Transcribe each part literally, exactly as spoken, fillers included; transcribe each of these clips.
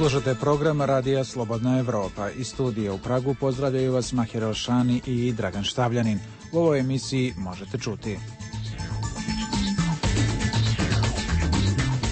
Slušate program Radija Slobodna Evropa. Iz studija u Pragu pozdravljaju vas Mahir Elšani i Dragan Štavljanin. U ovoj emisiji možete čuti: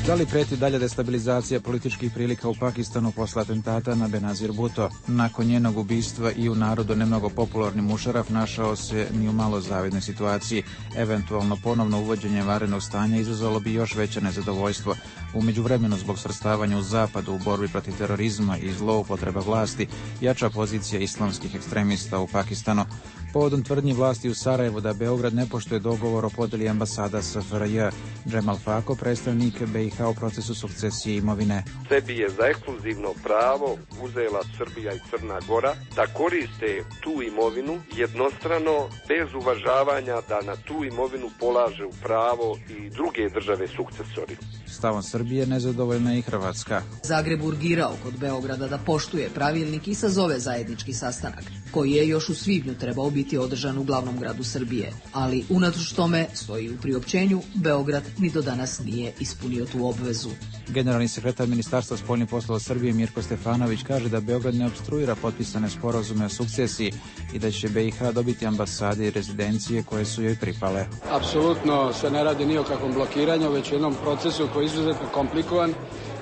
da li preti dalja destabilizacija političkih prilika u Pakistanu posle atentata na Benazir Bhutto? Nakon njenog ubistva i u narodu nemnogo popularni Mušaraf našao se ni u malo zavidnoj situaciji. Eventualno ponovno uvođenje vanrednog stanja izazvalo bi još veće nezadovoljstvo. U međuvremenu, zbog svrstavanja u zapadu u borbi protiv terorizma i zloupotreba vlasti, jača pozicija islamskih ekstremista u Pakistanu. Povodom tvrdnji vlasti u Sarajevu da Beograd ne poštuje dogovor o podeli ambasada S F R J, Džemal Fako, predstavnik B i H u procesu sukcesije imovine. Sebi je za ekskluzivno pravo uzela Srbija i Crna Gora da koriste tu imovinu jednostrano, bez uvažavanja da na tu imovinu polažu pravo i druge države sukcesori. Stavom Srbije nezadovoljna je i Hrvatska. Zagreb urgirao kod Beograda da poštuje pravilnik i sazove zajednički sastanak, koji je još u svibnju trebao biti održan u glavnom gradu Srbije, ali unatoč tome, stoji u priopćenju, Beograd ni do danas nije ispunio tu obvezu. Generalni sekretar Ministarstva spoljnih poslova Srbije Mirko Stefanović kaže da Beograd ne opstruira potpisane sporazume o sukcesiji i da će B i H dobiti ambasade i rezidencije koje su joj pripale. Apsolutno se ne radi ni o kakvom blokiranju, već jednom procesu koji je izuzetno komplikovan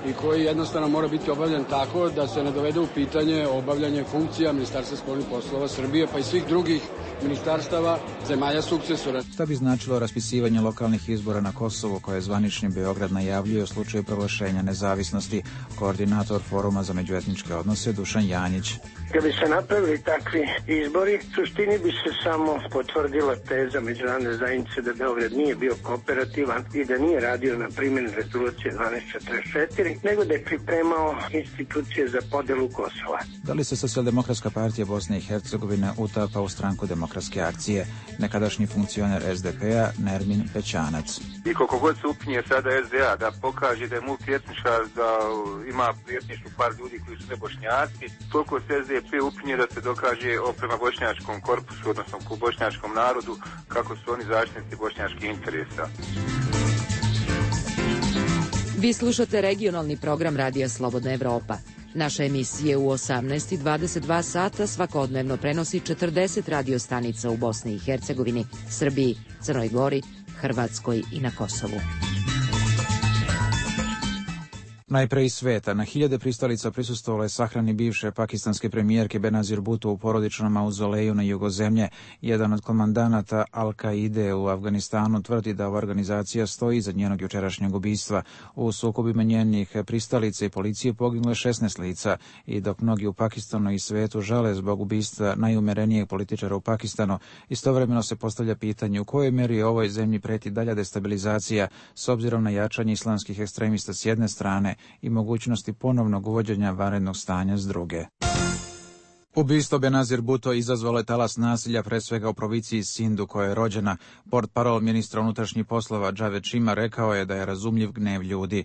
i koji jednostavno mora biti obavljen tako da se ne dovede u pitanje obavljanje funkcija Ministarstva spoljnih poslova Srbije, pa i svih drugih ministarstava zemalja sukcesora. Šta bi značilo raspisivanje lokalnih izbora na Kosovu koje zvanični Beograd najavljuje u slučaju proglašenja nezavisnosti? Koordinator Foruma za međuetničke odnose Dušan Janjić. Kad bi se napravili takvi izbori, suštini bi se samo potvrdila teza međunarodne zajednice da Beograd nije bio kooperativan i da nije radio na primjeni rezolucije dvanaest četrdeset četiri, nego da je pripremao institucije za podelu Kosova. Da li se Socijaldemokratska partija Bosne i Hercegovine utapa u stranku Demokratske akcije? Nekadašnji funkcioner S D P-a Nermin Pećanac. I koliko god se upinje sada S D A da pokaže da je multietnička, da ima etničku par ljudi koji su ne Bošnjaci, toliko se S D P upinje da se dokaže prema bošnjačkom korpusu, odnosno ku bošnjačkom narodu, kako su oni zaštitnici bošnjačkih interesa. Vi slušate regionalni program Radija Slobodna Evropa. Naša emisija u osamnaest i dvadeset dva sata svakodnevno prenosi četrdeset radio stanica u Bosni i Hercegovini, Srbiji, Crnoj Gori, Hrvatskoj i na Kosovu. Najpre iz sveta, na hiljade pristalica prisustvovalo je sahrani bivše pakistanske premijerke Benazir Bhutto u porodičnom mauzoleju na jugozemlje. Jedan od komandanata Al-Kaide u Afganistanu tvrdi da ova organizacija stoji iza njenog jučerašnjeg ubistva. U sukobima njenih pristalica i policije poginulo je šesnaest lica i dok mnogi u Pakistanu i svetu žale zbog ubistva najumerenijeg političara u Pakistanu, istovremeno se postavlja pitanje u kojoj meri ovoj zemlji preti dalja destabilizacija s obzirom na jačanje islamskih ekstremista s jedne strane i mogućnosti ponovnog uvođenja vanrednog stanja s druge. Ubistvo Benazir Bhutto izazvalo je talas nasilja, pre svega u provinciji Sindu, koja je rođena. Portparol ministra unutrašnjih poslova Javed Chima rekao je da je razumljiv gnev ljudi.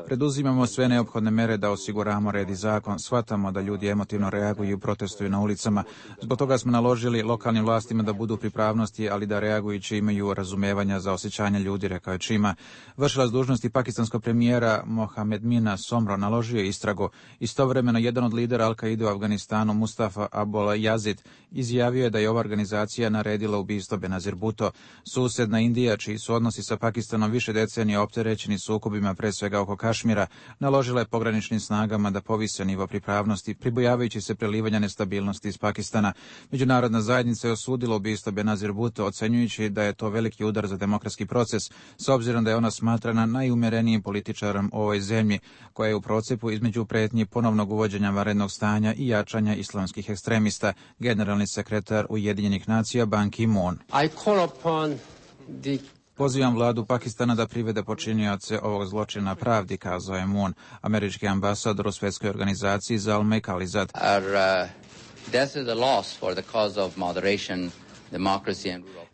Preduzimamo sve neophodne mere da osiguramo red i zakon. Shvatamo da ljudi emotivno reaguju i protestuju na ulicama. Zbog toga smo naložili lokalnim vlastima da budu pripravnosti, ali da reagujući imaju razumevanja za osjećanje ljudi, rekao je Chima. Vršilac dužnosti pakistanskog premijera Mohamed Mina Somro naložio je istragu. Istovremeno jedan od lidera Al-Kaide u Afganistanu, Mustafa Abul Yazid, izjavio je da je ova organizacija naredila ubistvo Benazir Bhutto. Susedna Indija, čiji su odnosi sa Pakistanom više decenija opterećeni sukobima, pre svega oko Kašmira, naložila je pograničnim snagama da povise nivo pripravnosti, pribojavajući se prelivanja nestabilnosti iz Pakistana. Međunarodna zajednica je osudila ubistvo Benazir Bhutto, ocenjujući da je to veliki udar za demokratski proces, s obzirom da je ona smatrana najumerenijim političarom u ovoj zemlji, koja je u procepu između pretnji ponovnog uvođenja vanrednog stanja i jačanja islamskih ekstremista, generalni sekretar Ujedinjenih nacija Ban Ki-moon. The... Pozivam vladu Pakistana da privede počinioce ovog zločina pravdi, kazao je Moon. Američki ambasador u svjetskoj organizaciji Zalmay Khalilzad. Our uh, death is a loss for the cause of moderation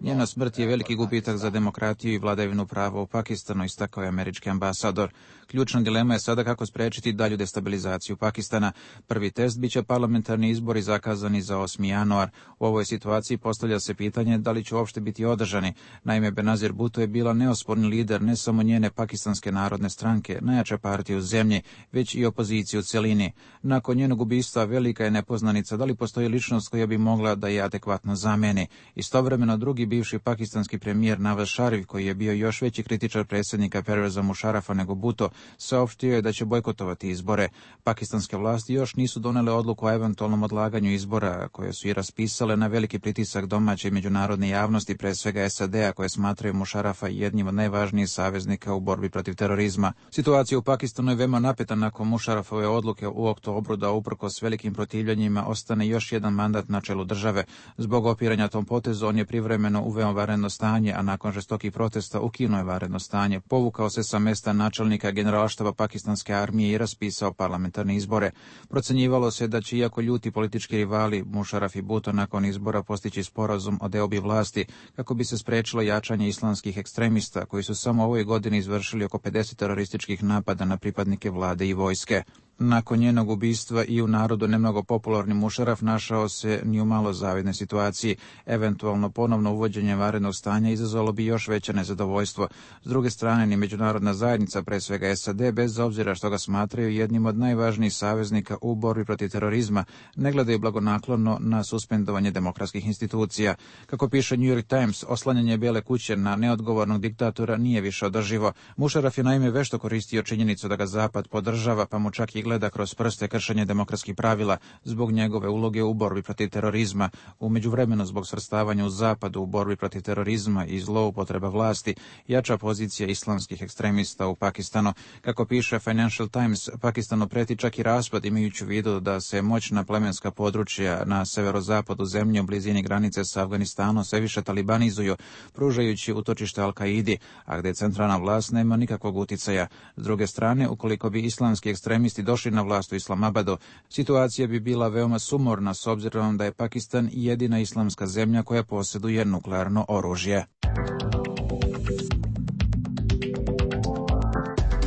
Njena smrt je veliki gubitak za demokratiju i vladavinu prava u Pakistanu, istakao je američki ambasador. Ključna dilema je sada kako spriječiti dalju destabilizaciju Pakistana. Prvi test biće parlamentarni izbori zakazani za osmi januar. U ovoj situaciji postavlja se pitanje da li će uopšte biti održani. Naime, Benazir Bhutto je bila neosporni lider ne samo njene Pakistanske narodne stranke, najjača partija u zemlji, već i opoziciju u cjelini. Nakon njenog ubistva velika je nepoznanica da li postoji ličnost koja bi mogla da je adekvatno zameni. Istovremeno drugi bivši pakistanski premijer Nawaz Sharif, koji je bio još veći kritičar predsjednika Perveza Musharafa nego Bhutto, saopštio je da će bojkotovati izbore. Pakistanske vlasti još nisu donele odluku o eventualnom odlaganju izbora, koje su i raspisale na veliki pritisak domaće i međunarodne javnosti, pre svega S A D-a, koje smatraju Musharafa jednim od najvažnijih saveznika u borbi protiv terorizma. Situacija u Pakistanu je veoma napeta nakon Musharafove odluke u oktobru da uprkos velikim protivljenjima ostane još jedan mandat na čelu države. Zbog opiranja tom potezu on je privremeno uveo vanredno stanje, a nakon žestokih protesta ukinuo je vanredno stanje, povukao se sa mesta načelnika generalštaba pakistanske armije i raspisao parlamentarne izbore. Procenjivalo se da će, iako ljuti politički rivali Musharaf i Bhutto nakon izbora postići sporazum o deobi vlasti kako bi se sprečilo jačanje islamskih ekstremista koji su samo ovoj godini izvršili oko pedeset terorističkih napada na pripadnike vlade i vojske. Nakon njenog ubistva i u narodu nemnogo popularni Musharaf našao se ni u malo zavidnoj situaciji. Eventualno ponovno uvođenje vanrednog stanja izazvalo bi još veće nezadovoljstvo. S druge strane, ni međunarodna zajednica, pre svega S A D, bez obzira što ga smatraju jednim od najvažnijih saveznika u borbi protiv terorizma, ne gledaju blagonaklono na suspendovanje demokratskih institucija. Kako piše New York Times, oslanjanje Bijele kuće na neodgovornog diktatora nije više održivo. Musharaf je naime vešto koristio činjenicu da ga Zapad podržava, pa mu čak i gleda kroz prste kršenje demokratskih pravila zbog njegove uloge u borbi protiv terorizma. U međuvremenu, zbog svrstavanja u Zapadu u borbi protiv terorizma i zloupotreba vlasti, jača pozicija islamskih ekstremista u Pakistanu. Kako piše Financial Times, Pakistanu preti čak i raspad, imajući u vidu da se moćna plemenska područja na severozapadu zemlje u blizini granice sa Afganistanom sve više talibanizuju, pružajući utočište Al-Kaidi, a gdje centralna vlast nema nikakvog uticaja. S druge strane, ukoliko bi islamski ekstremisti došli na vlast u Islamabadu, situacija bi bila veoma sumorna s obzirom da je Pakistan jedina islamska zemlja koja posjeduje nuklearno oružje.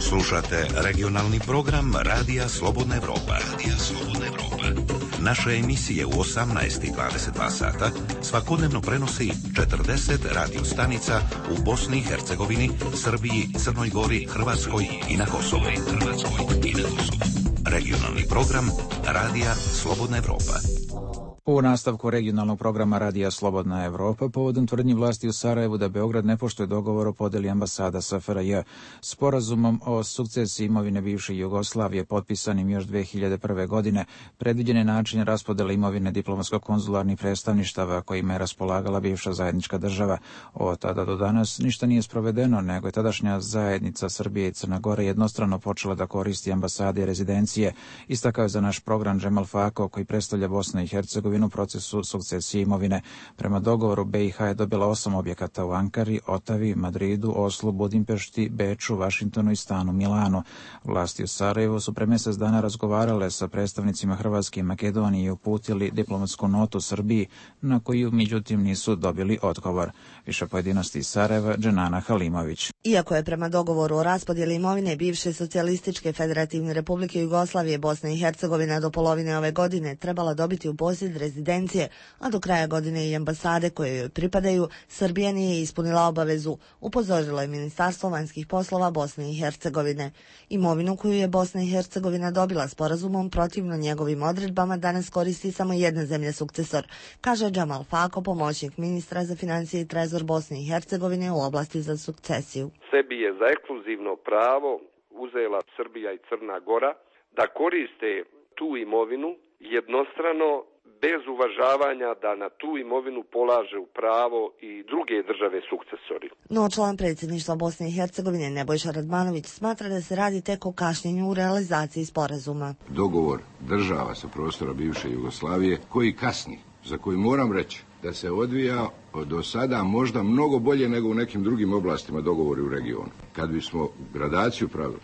Slušate regionalni program Radija Slobodna Evropa. Radija Slobodna Evropa. Naše emisije u osamnaest i dvadeset dva sata svakodnevno prenosi četrdeset radio stanica u Bosni i Hercegovini, Srbiji, Crnoj Gori, Hrvatskoj i na Kosovu. Hrvatskoj i na Kosovu. Regionalni program Radija Slobodna Evropa. U nastavku regionalnog programa Radija Slobodna Evropa, povodom tvrdnji vlasti u Sarajevu da Beograd ne poštuje dogovor o podeli ambasada S F R J. Sporazumom o sukcesiji imovine bivše Jugoslavije, potpisanim još dve hiljade prve. godine, predviđen je način raspodele imovine diplomatsko-konzularnih predstavništava kojima je raspolagala bivša zajednička država. Od tada do danas ništa nije sprovedeno, nego je tadašnja zajednica Srbije i Crna Gora jednostrano počela da koristi ambasade i rezidencije, istakao je za naš program Džemal Fako, koji predstavlja Bosnu i Hercegovinu u procesu sukcesije imovine. Prema dogovoru, B i H je dobila osam objekata u Ankari, Otavi, Madridu, Oslu, Budimpešti, Beču, Vašingtonu i stanu Milanu. Vlasti u Sarajevu su pre mjesec dana razgovarale sa predstavnicima Hrvatske i Makedonije i uputili diplomatsku notu Srbiji, na koju međutim nisu dobili odgovor. Više pojedinosti iz Sarajeva, Dženana Halimović. Iako je prema dogovoru o raspodjeli imovine bivše socijalističke federativne republike Jugoslavije Bosna i Hercegovina do polovine ove godine trebala dobiti u posjed rezidencije, a do kraja godine i ambasade koje joj pripadaju, Srbija nije ispunila obavezu, upozorilo je Ministarstvo vanjskih poslova Bosne i Hercegovine. Imovinu koju je Bosna i Hercegovina dobila sporazumom protivno njegovim odredbama danas koristi samo jedna zemlja sukcesor, kaže Džemal Fako, pomoćnik ministra za financije i trezor Bosne i Hercegovine u oblasti za sukcesiju. Sebi je za ekskluzivno pravo uzela Srbija i Crna Gora da koriste tu imovinu jednostrano, bez uvažavanja da na tu imovinu polaže u pravo i druge države sukcesori. No, član predsjedništva Bosne i Hercegovine Nebojša Radmanović smatra da se radi tek o kašnjenju u realizaciji sporazuma. Dogovor država sa prostora bivše Jugoslavije koji kasni, za koji moram reći da se odvija do sada možda mnogo bolje nego u nekim drugim oblastima dogovori u regionu. Kad bismo gradaciju pravili,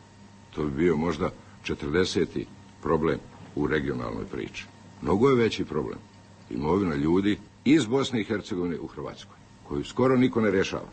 to bi bio možda četrdeseti problem u regionalnoj priči. Mnogo je veći problem. Imovina ljudi iz Bosne i Hercegovine u Hrvatskoj, koju skoro niko ne rješava,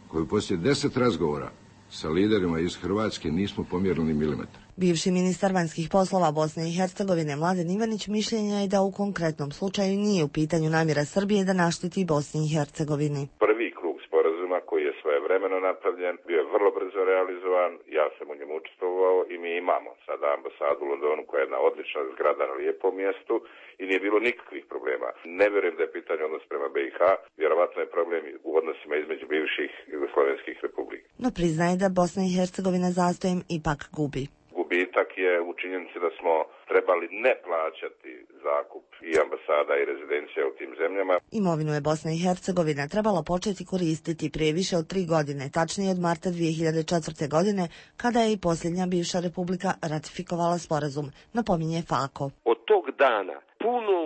koju poslije deset razgovora sa liderima iz Hrvatske nismo pomjerili ni milimetar. Bivši ministar vanjskih poslova Bosne i Hercegovine Mladen Ivanić mišljenja je da u konkretnom slučaju nije u pitanju namjera Srbije da našteti Bosni i Hercegovini. Prvi krug sporazuma koji je svojevremeno napravljen bio je vrlo brzo realizovan, ja sam u njemu učestvovao i mi imamo sada ambasadu u Londonu koja je jedna odlična zgrada na lijepom mjestu i nije bilo nikakvih problema. Ne vjerujem da je pitanje odnos prema B i H, vjerovatno je problem u odnosima između bivših jugoslovenskih republika. No priznaje da Bosna i Hercegovina zastojem ipak gubi. Gubitak je u činjenici da smo trebali ne plaćati zakup i ambasada i rezidencija u tim zemljama. Imovinu je Bosna i Hercegovina trebala početi koristiti prije više od tri godine, tačnije od marta dvije hiljade četvrte. godine, kada je i posljednja bivša republika ratifikovala sporazum, napominje Fako. Od tog dana puno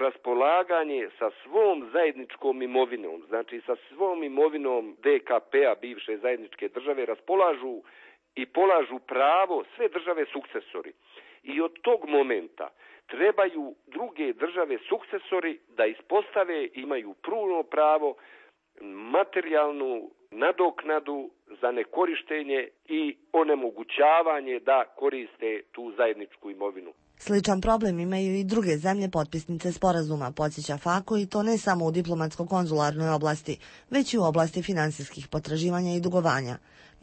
raspolaganje sa svom zajedničkom imovinom, znači sa svom imovinom D K P-a, bivše zajedničke države, raspolažu i polažu pravo sve države sukcesori. I od tog momenta trebaju druge države sukcesori da ispostave, imaju puno pravo, materijalnu nadoknadu za nekorištenje i onemogućavanje da koriste tu zajedničku imovinu. Sličan problem imaju i druge zemlje potpisnice sporazuma, podsjeća Fako, i to ne samo u diplomatsko-konzularnoj oblasti, već i u oblasti finansijskih potraživanja i dugovanja.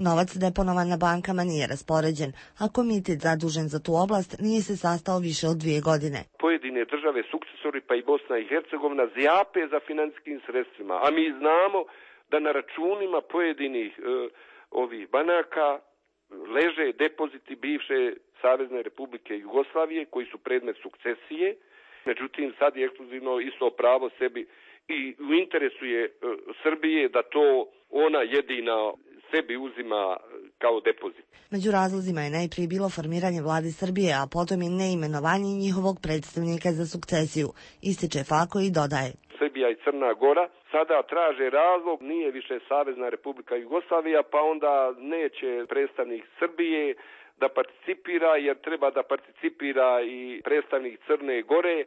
Novac deponovan na bankama nije raspoređen, a komitet zadužen za tu oblast nije se sastao više od dvije godine. Pojedine države sukcesori, pa i Bosna i Hercegovina, zjape za financijskim sredstvima, a mi znamo da na računima pojedinih e, ovih banaka leže depoziti bivše Savezne Republike Jugoslavije koji su predmet sukcesije. Međutim, sad je ekskluzivno isto pravo sebi i u interesu je e, Srbije da to ona jedina sebi uzima kao depozit. Među razlozima je najprije bilo formiranje vlade Srbije, a potom i neimenovanje njihovog predstavnika za sukcesiju, ističe Fako i dodaje. Srbija i Crna Gora sada traže razlog, nije više Savezna Republika Jugoslavija, pa onda neće predstavnik Srbije da participira, jer treba da participira i predstavnik Crne Gore,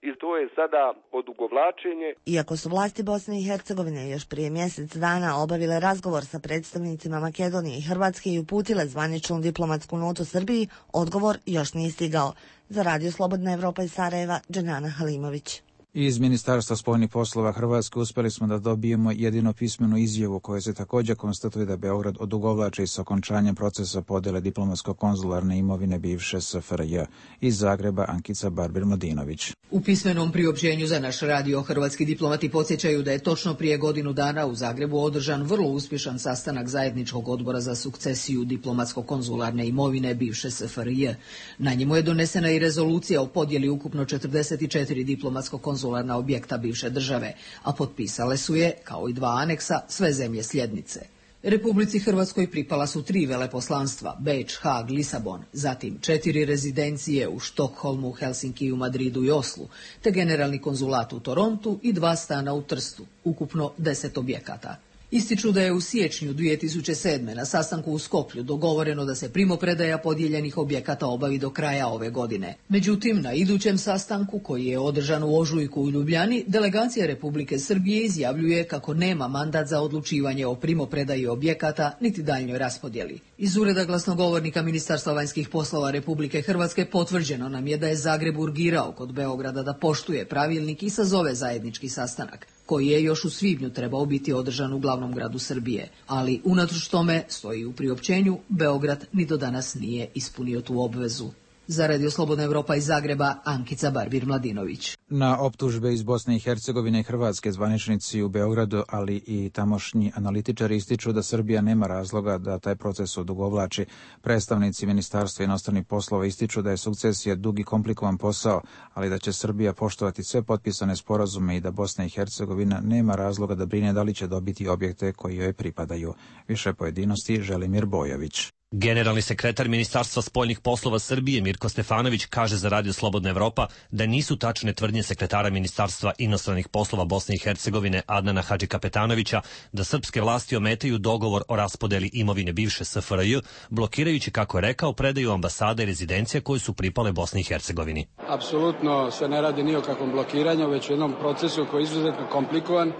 i to je sada odugovlačenje. Iako su vlasti Bosne i Hercegovine još prije mjesec dana obavile razgovor sa predstavnicima Makedonije i Hrvatske i uputile zvaničnu diplomatsku notu Srbiji, odgovor još nije stigao. Za Radio Slobodna Evropa iz Sarajeva, Dženana Halimović. Iz Ministarstva spoljnih poslova Hrvatske uspjeli smo da dobijemo jedino pismenu izjavu koja se također konstatuje da Beograd odugovlači s okončanjem procesa podjele diplomatsko-konzularne imovine bivše S F R J. Iz Zagreba Ankica Barbir-Mladinović. U pismenom priopćenju za naš radio hrvatski diplomati podsjećaju da je točno prije godinu dana u Zagrebu održan vrlo uspješan sastanak zajedničkog odbora za sukcesiju diplomatsko-konzularne imovine bivše S F R J. Na njemu je donesena i rezolucija o podjeli ukupno četrdeset četiri diplomatsko-konzularne objekta bivše države, a potpisale su je, kao i dva aneksa, sve zemlje sljednice. Republici Hrvatskoj pripala su tri veleposlanstva, Beč, Hag, Lisabon, zatim četiri rezidencije u Štokholmu, Helsinkiju, Madridu i Oslu, te generalni konzulat u Torontu i dva stana u Trstu, ukupno deset objekata. Ističu da je u siječnju dvije tisuće sedme. na sastanku u Skoplju dogovoreno da se primopredaja podijeljenih objekata obavi do kraja ove godine. Međutim, na idućem sastanku, koji je održan u ožujku u Ljubljani, delegacija Republike Srbije izjavljuje kako nema mandat za odlučivanje o primopredaji objekata niti daljnjoj raspodjeli. Iz ureda glasnogovornika Ministarstva vanjskih poslova Republike Hrvatske potvrđeno nam je da je Zagreb urgirao kod Beograda da poštuje pravilnik i sazove zajednički sastanak, koji je još u svibnju trebao biti održan u glavnom gradu Srbije, ali unatoč tome, stoji u priopćenju, Beograd ni do danas nije ispunio tu obvezu. Za Radio Slobodna Evropa iz Zagreba, Ankica Barbir-Mladinović. Na optužbe iz Bosne i Hercegovine i Hrvatske zvaničnici u Beogradu, ali i tamošnji analitičari ističu da Srbija nema razloga da taj proces odugovlači. Predstavnici Ministarstva inostranih poslova ističu da je sukcesija dug i komplikovan posao, ali da će Srbija poštovati sve potpisane sporazume i da Bosna i Hercegovina nema razloga da brine da li će dobiti objekte koji joj pripadaju. Više pojedinosti Želimir Bojović. Generalni sekretar Ministarstva spoljnih poslova Srbije Mirko Stefanović kaže za Radio Slobodna Evropa da nisu tačne tvrdnje sekretara Ministarstva inostranih poslova Bosne i Hercegovine Adnana Hadžikapetanovića da srpske vlasti ometaju dogovor o raspodeli imovine bivše S F R J, blokirajući, kako je rekao, predaju ambasada i rezidencija koje su pripale Bosni i Hercegovini. Apsolutno se ne radi ni o kakvom blokiranju, već o jednom procesu koji je izuzetno komplikovan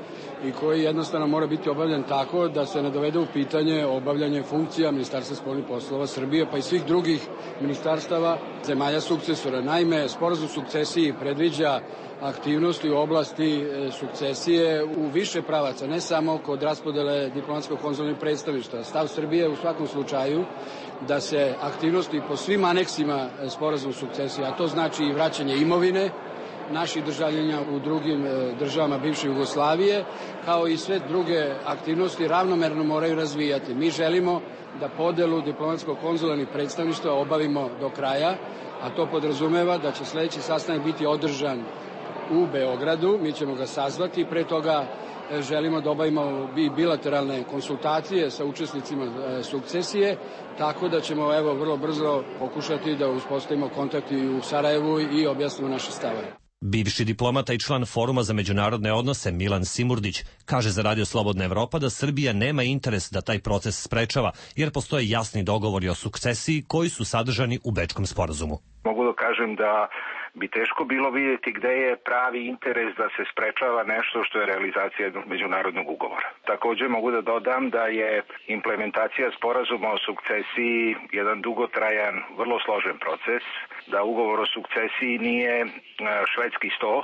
i koji jednostavno mora biti obavljen tako da se ne dovede u pitanje obavljanje funkcija Ministarstva spoljnih poslova Srbije, pa i svih drugih ministarstava zemalja sukcesora. Naime, sporazum o sukcesiji predviđa aktivnosti u oblasti sukcesije u više pravaca, ne samo kod raspodele diplomatsko-konzularnih predstavništva. Stav Srbije u svakom slučaju da se aktivnosti po svim aneksima sporazuma o sukcesiji, a to znači i vraćanje imovine naših državljana u drugim državama bivše Jugoslavije, kao i sve druge aktivnosti ravnomerno moraju razvijati. Mi želimo da podelu diplomatsko-konzularnih predstavništva obavimo do kraja, a to podrazumeva da će sledeći sastanak biti održan u Beogradu. Mi ćemo ga sazvati, pre toga želimo da obavimo i bilateralne konsultacije sa učesnicima sukcesije, tako da ćemo evo vrlo brzo pokušati da uspostavimo kontakt i u Sarajevu i objasnimo naše stavove. Bivši diplomata i član Foruma za međunarodne odnose Milan Simurdić kaže za Radio Slobodna Evropa da Srbija nema interes da taj proces sprečava, jer postoje jasni dogovori o sukcesiji koji su sadržani u Bečkom sporazumu. Mogu da kažem da bi teško bilo vidjeti gde je pravi interes da se sprečava nešto što je realizacija jednog međunarodnog ugovora. Također mogu da dodam da je implementacija sporazuma o sukcesiji jedan dugotrajan, vrlo složen proces, da ugovor o sukcesiji nije švedski sto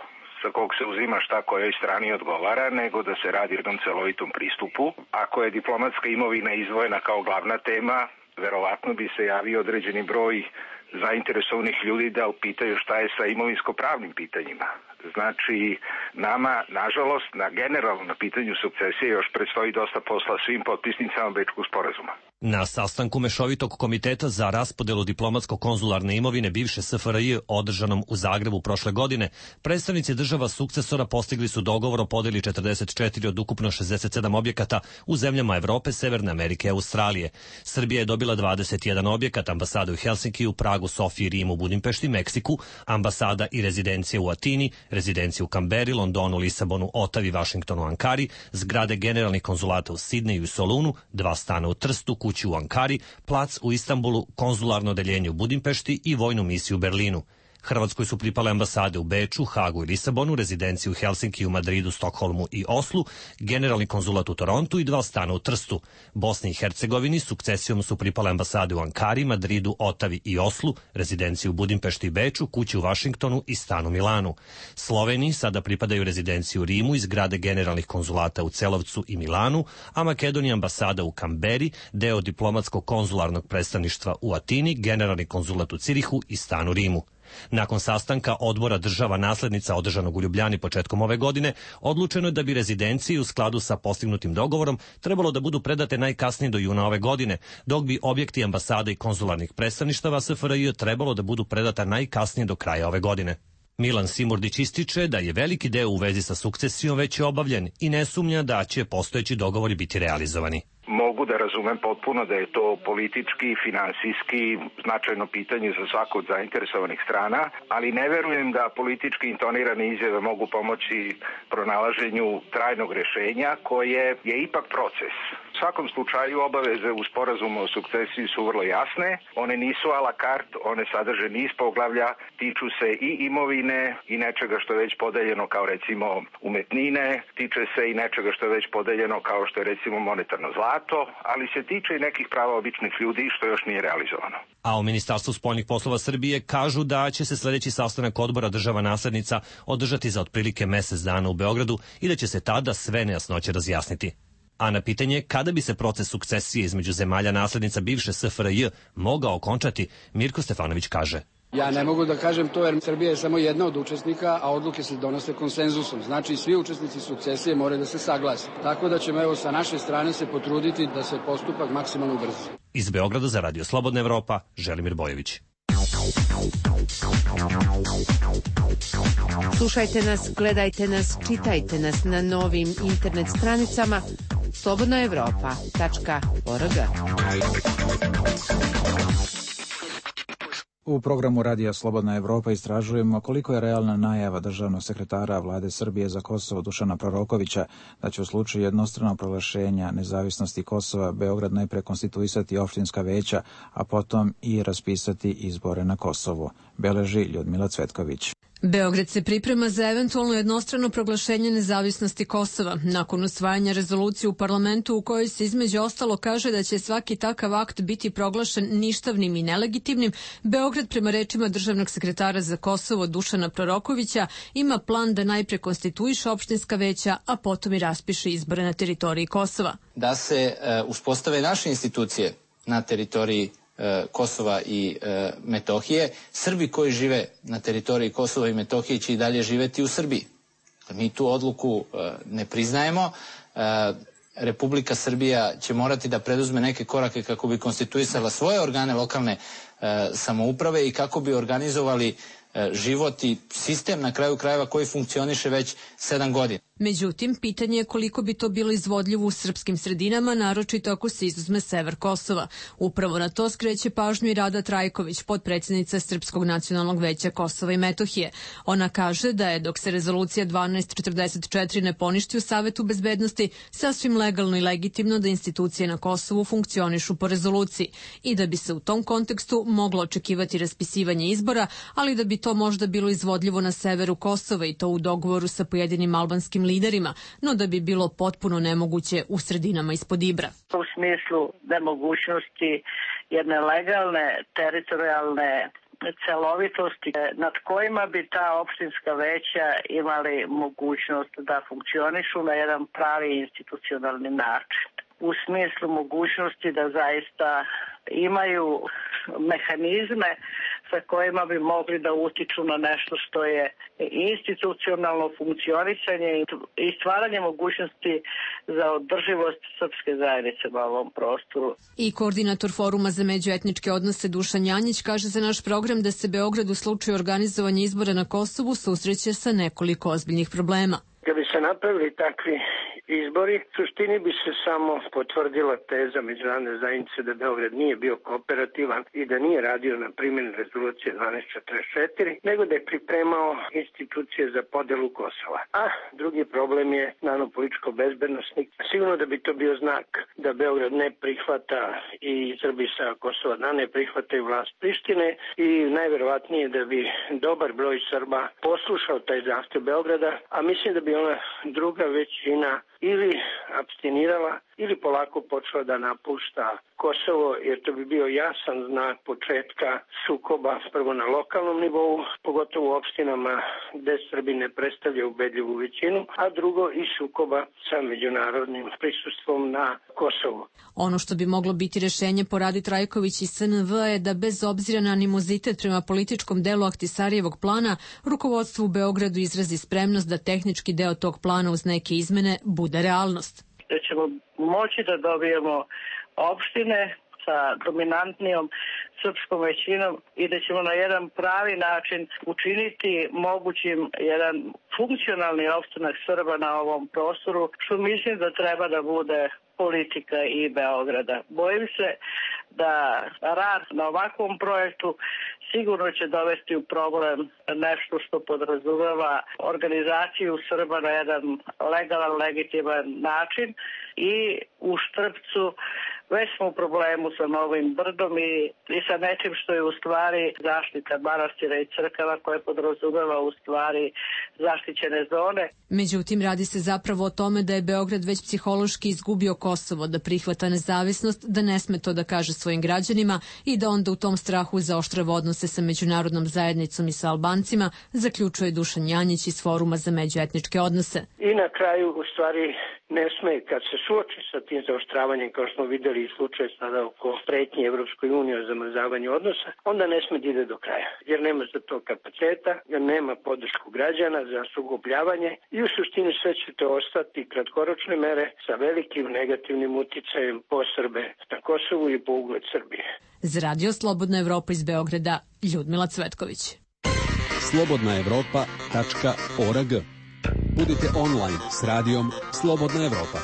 sa kog se uzima šta kojoj strani odgovara, nego da se radi o jednom celovitom pristupu. Ako je diplomatska imovina izdvojena kao glavna tema, verovatno bi se javio određeni broj zainteresovanih ljudi da upitaju šta je sa imovinsko-pravnim pitanjima. Znači, nama, nažalost, na generalno na pitanju sukcesije još predstoji dosta posla svim potpisnicama Bečkog sporazuma. Na sastanku Mešovitog komiteta za raspodelu diplomatsko-konzularne imovine bivše S F R J održanom u Zagrebu prošle godine, predstavnici država sukcesora postigli su dogovor o podeli četrdeset četiri od ukupno šezdeset sedam objekata u zemljama Evrope, Severne Amerike i Australije. Srbija je dobila dvadeset jedan objekat, ambasade u Helsinkiju, Pragu, Sofiji, Rimu, Budimpešti, Meksiku, ambasada i rezidencije u Atini, rezidencije u Kamberi, Londonu, Lisabonu, Otavi, Vašingtonu, Ankari, zgrade generalnih konzulata u Sidneju i Solunu, dva stana u Trstu, kuću u Ankari, plac u Istanbulu, konzularno odeljenje u Budimpešti i vojnu misiju u Berlinu. Hrvatskoj su pripale ambasade u Beču, Hagu i Lisabonu, rezidenciju u Helsinkiju, Madridu, Stokholmu i Oslu, generalni konzulat u Torontu i dva stana u Trstu. Bosni i Hercegovini sukcesijom su pripale ambasade u Ankari, Madridu, Otavi i Oslu, rezidenciju u Budimpešti i Beču, kuću u Vašingtonu i stan u Milanu. Sloveniji sada pripadaju rezidenciju u Rimu i zgrade generalnih konzulata u Celovcu i Milanu, a Makedonija ambasada u Kamberi, deo diplomatskog konzularnog predstavništva u Atini, generalni konzulat u Cirihu i stan u Rimu. Nakon sastanka odbora država naslednica održanog u Ljubljani početkom ove godine, odlučeno je da bi rezidencije u skladu sa postignutim dogovorom trebalo da budu predate najkasnije do juna ove godine, dok bi objekti ambasada i konzularnih predstavništava S F R J trebalo da budu predata najkasnije do kraja ove godine. Milan Simurdić ističe da je veliki deo u vezi sa sukcesijom već je obavljen i ne sumnja da će postojeći dogovori biti realizovani. Mogu da razumem potpuno da je to politički i finansijski značajno pitanje za svaku od zainteresovanih strana, ali ne verujem da politički intonirane izjave mogu pomoći pronalaženju trajnog rešenja koje je ipak proces. U svakom slučaju obaveze u sporazumu o sukcesiji su vrlo jasne, one nisu a la carte, one sadrže niz poglavlja, tiču se i imovine i nečega što je već podeljeno kao recimo umetnine, tiče se i nečega što je već podeljeno kao što je recimo monetarno zlato, ali se tiče i nekih prava običnih ljudi što još nije realizovano. A u Ministarstvu spoljnih poslova Srbije kažu da će se sledeći sastanak odbora država naslednica održati za otprilike mesec dana u Beogradu i da će se tada sve nejasnoće razjasniti. A na pitanje kada bi se proces sukcesije između zemalja naslednica bivše S F R J mogao okončati, Mirko Stefanović kaže: Ja ne mogu da kažem to jer Srbija je samo jedna od učesnika, a odluke se donose konsenzusom. Znači svi učesnici sukcesije moraju da se saglase. Tako da ćemo evo sa naše strane se potruditi da se postupak maksimalno ubrza. Iz Beograda za Radio Slobodna Evropa, Želimir Bojović. Slušajte nas, gledajte nas, čitajte nas na novim internet stranicama slobodna evropa tačka org. U programu Radija Slobodna Evropa istražujemo koliko je realna najava državnog sekretara vlade Srbije za Kosovo Dušana Prorokovića da će u slučaju jednostranog proglašenja nezavisnosti Kosova Beograd najpre konstituisati opštinska veća, a potom i raspisati izbore na Kosovu, beleži Ljudmila Cvetković. Beograd se priprema za eventualno jednostrano proglašenje nezavisnosti Kosova. Nakon usvajanja rezolucije u parlamentu u kojoj se između ostalo kaže da će svaki takav akt biti proglašen ništavnim i nelegitimnim, Beograd prema rečima državnog sekretara za Kosovo Dušana Prorokovića ima plan da najpre konstituiše opštinska veća, a potom i raspiše izbore na teritoriji Kosova. Da se uh, uspostave naše institucije na teritoriji Kosova i e, Metohije, Srbi koji žive na teritoriji Kosova i Metohije će i dalje živeti u Srbiji. Mi tu odluku e, ne priznajemo. E, Republika Srbija će morati da preduzme neke korake kako bi konstituisala svoje organe lokalne e, samouprave i kako bi organizovali e, život i sistem na kraju krajeva koji funkcioniše već sedam godina. Međutim, pitanje je koliko bi to bilo izvodljivo u srpskim sredinama, naročito ako se izuzme sever Kosova. Upravo na to skreće pažnju i Rada Trajković, potpredsjednica Srpskog nacionalnog veća Kosova i Metohije. Ona kaže da je, dok se rezolucija dvanaest četrdeset četiri ne poništi u Savetu bezbednosti, sasvim legalno i legitimno da institucije na Kosovu funkcionišu po rezoluciji i da bi se u tom kontekstu moglo očekivati raspisivanje izbora, ali da bi to možda bilo izvodljivo na severu Kosova i to u dogovoru sa pojedinim albanskim liderima, no da bi bilo potpuno nemoguće u sredinama ispod Ibra. U smislu nemogućnosti jedne legalne, teritorijalne celovitosti nad kojima bi ta opštinska veća imali mogućnost da funkcionišu na jedan pravi institucionalni način. U smislu mogućnosti da zaista imaju mehanizme sa kojima bi mogli da utiču na nešto što je institucionalno funkcionisanje i stvaranje mogućnosti za održivost srpske zajednice na ovom prostoru. I koordinator Foruma za međuetničke odnose Dušan Janjić kaže za naš program da se Beograd u slučaju organizovanja izbora na Kosovu susreće sa nekoliko ozbiljnih problema. Kad bi se napravili takvi izbori, u suštini bi se samo potvrdila teza međunarodne zajednice da Beograd nije bio kooperativan i da nije radio na primjeni rezolucije dvanaest četrdeset četiri, nego da je pripremao institucije za podelu Kosova. A drugi problem je naravno političko-bezbednostni. Sigurno da bi to bio znak da Beograd ne prihvata i Srbi sa Kosova da ne prihvataju vlast Prištine i najverovatnije da bi dobar broj Srba poslušao taj zahtev Beograda, a mislim da bi ona druga većina ili abstinirala ili polako počela da napušta Kosovo, jer to bi bio jasan znak početka sukoba prvo na lokalnom nivou, pogotovo u opštinama gde Srbi ne predstavljaju ubedljivu većinu, a drugo i sukoba sa međunarodnim prisustvom na Kosovu. Ono što bi moglo biti rešenje po Radi Trajković i S N V je da bez obzira na animozitet prema političkom delu Ahtisarijevog plana, rukovodstvo u Beogradu izrazi spremnost da tehnički deo tog plana uz neke izmene bude realnost. Da ćemo moći da dobijemo opštine sa dominantnijom srpskom većinom i da ćemo na jedan pravi način učiniti mogućim jedan funkcionalni opstanak Srba na ovom prostoru, što mislim da treba da bude politika i Beograda. Bojim se da rad na ovakvom projektu sigurno će dovesti u problem nešto što podrazumeva organizaciju Srba na jedan legalan, legitiman način i u Štrpcu već smo u problemu sa Novim Brdom i, i sa nečim što je u stvari zaštita manastira i crkava koje podrazumeva u stvari zaštićene zone. Međutim, radi se zapravo o tome da je Beograd već psihološki izgubio Kosovo, da prihvata nezavisnost, da ne sme to da kaže svojim građanima i da onda u tom strahu zaoštrava odnose sa međunarodnom zajednicom i sa Albancima, zaključuje Dušan Janjić iz Foruma za međuetničke odnose. I na kraju, u stvari, ne sme, kad se suoči sa tim zaoštravanjem, kao što smo videli i slučaj sada oko pretnje Evropskoj uniji o zamrzavanju odnosa, onda ne sme da ide do kraja, jer nema za to kapaciteta, jer nema podršku građana za sugobljavanje i u suštini sve će to ostati kratkoročne mere sa velikim negativnim uticajem po Srbe na Kosovu i po ugled Srbije. Za Radio Slobodna Evropa iz Beograda, Ljudmila Cvetković. slobodna evropa tačka org. Budite online s radijom Slobodna Evropa.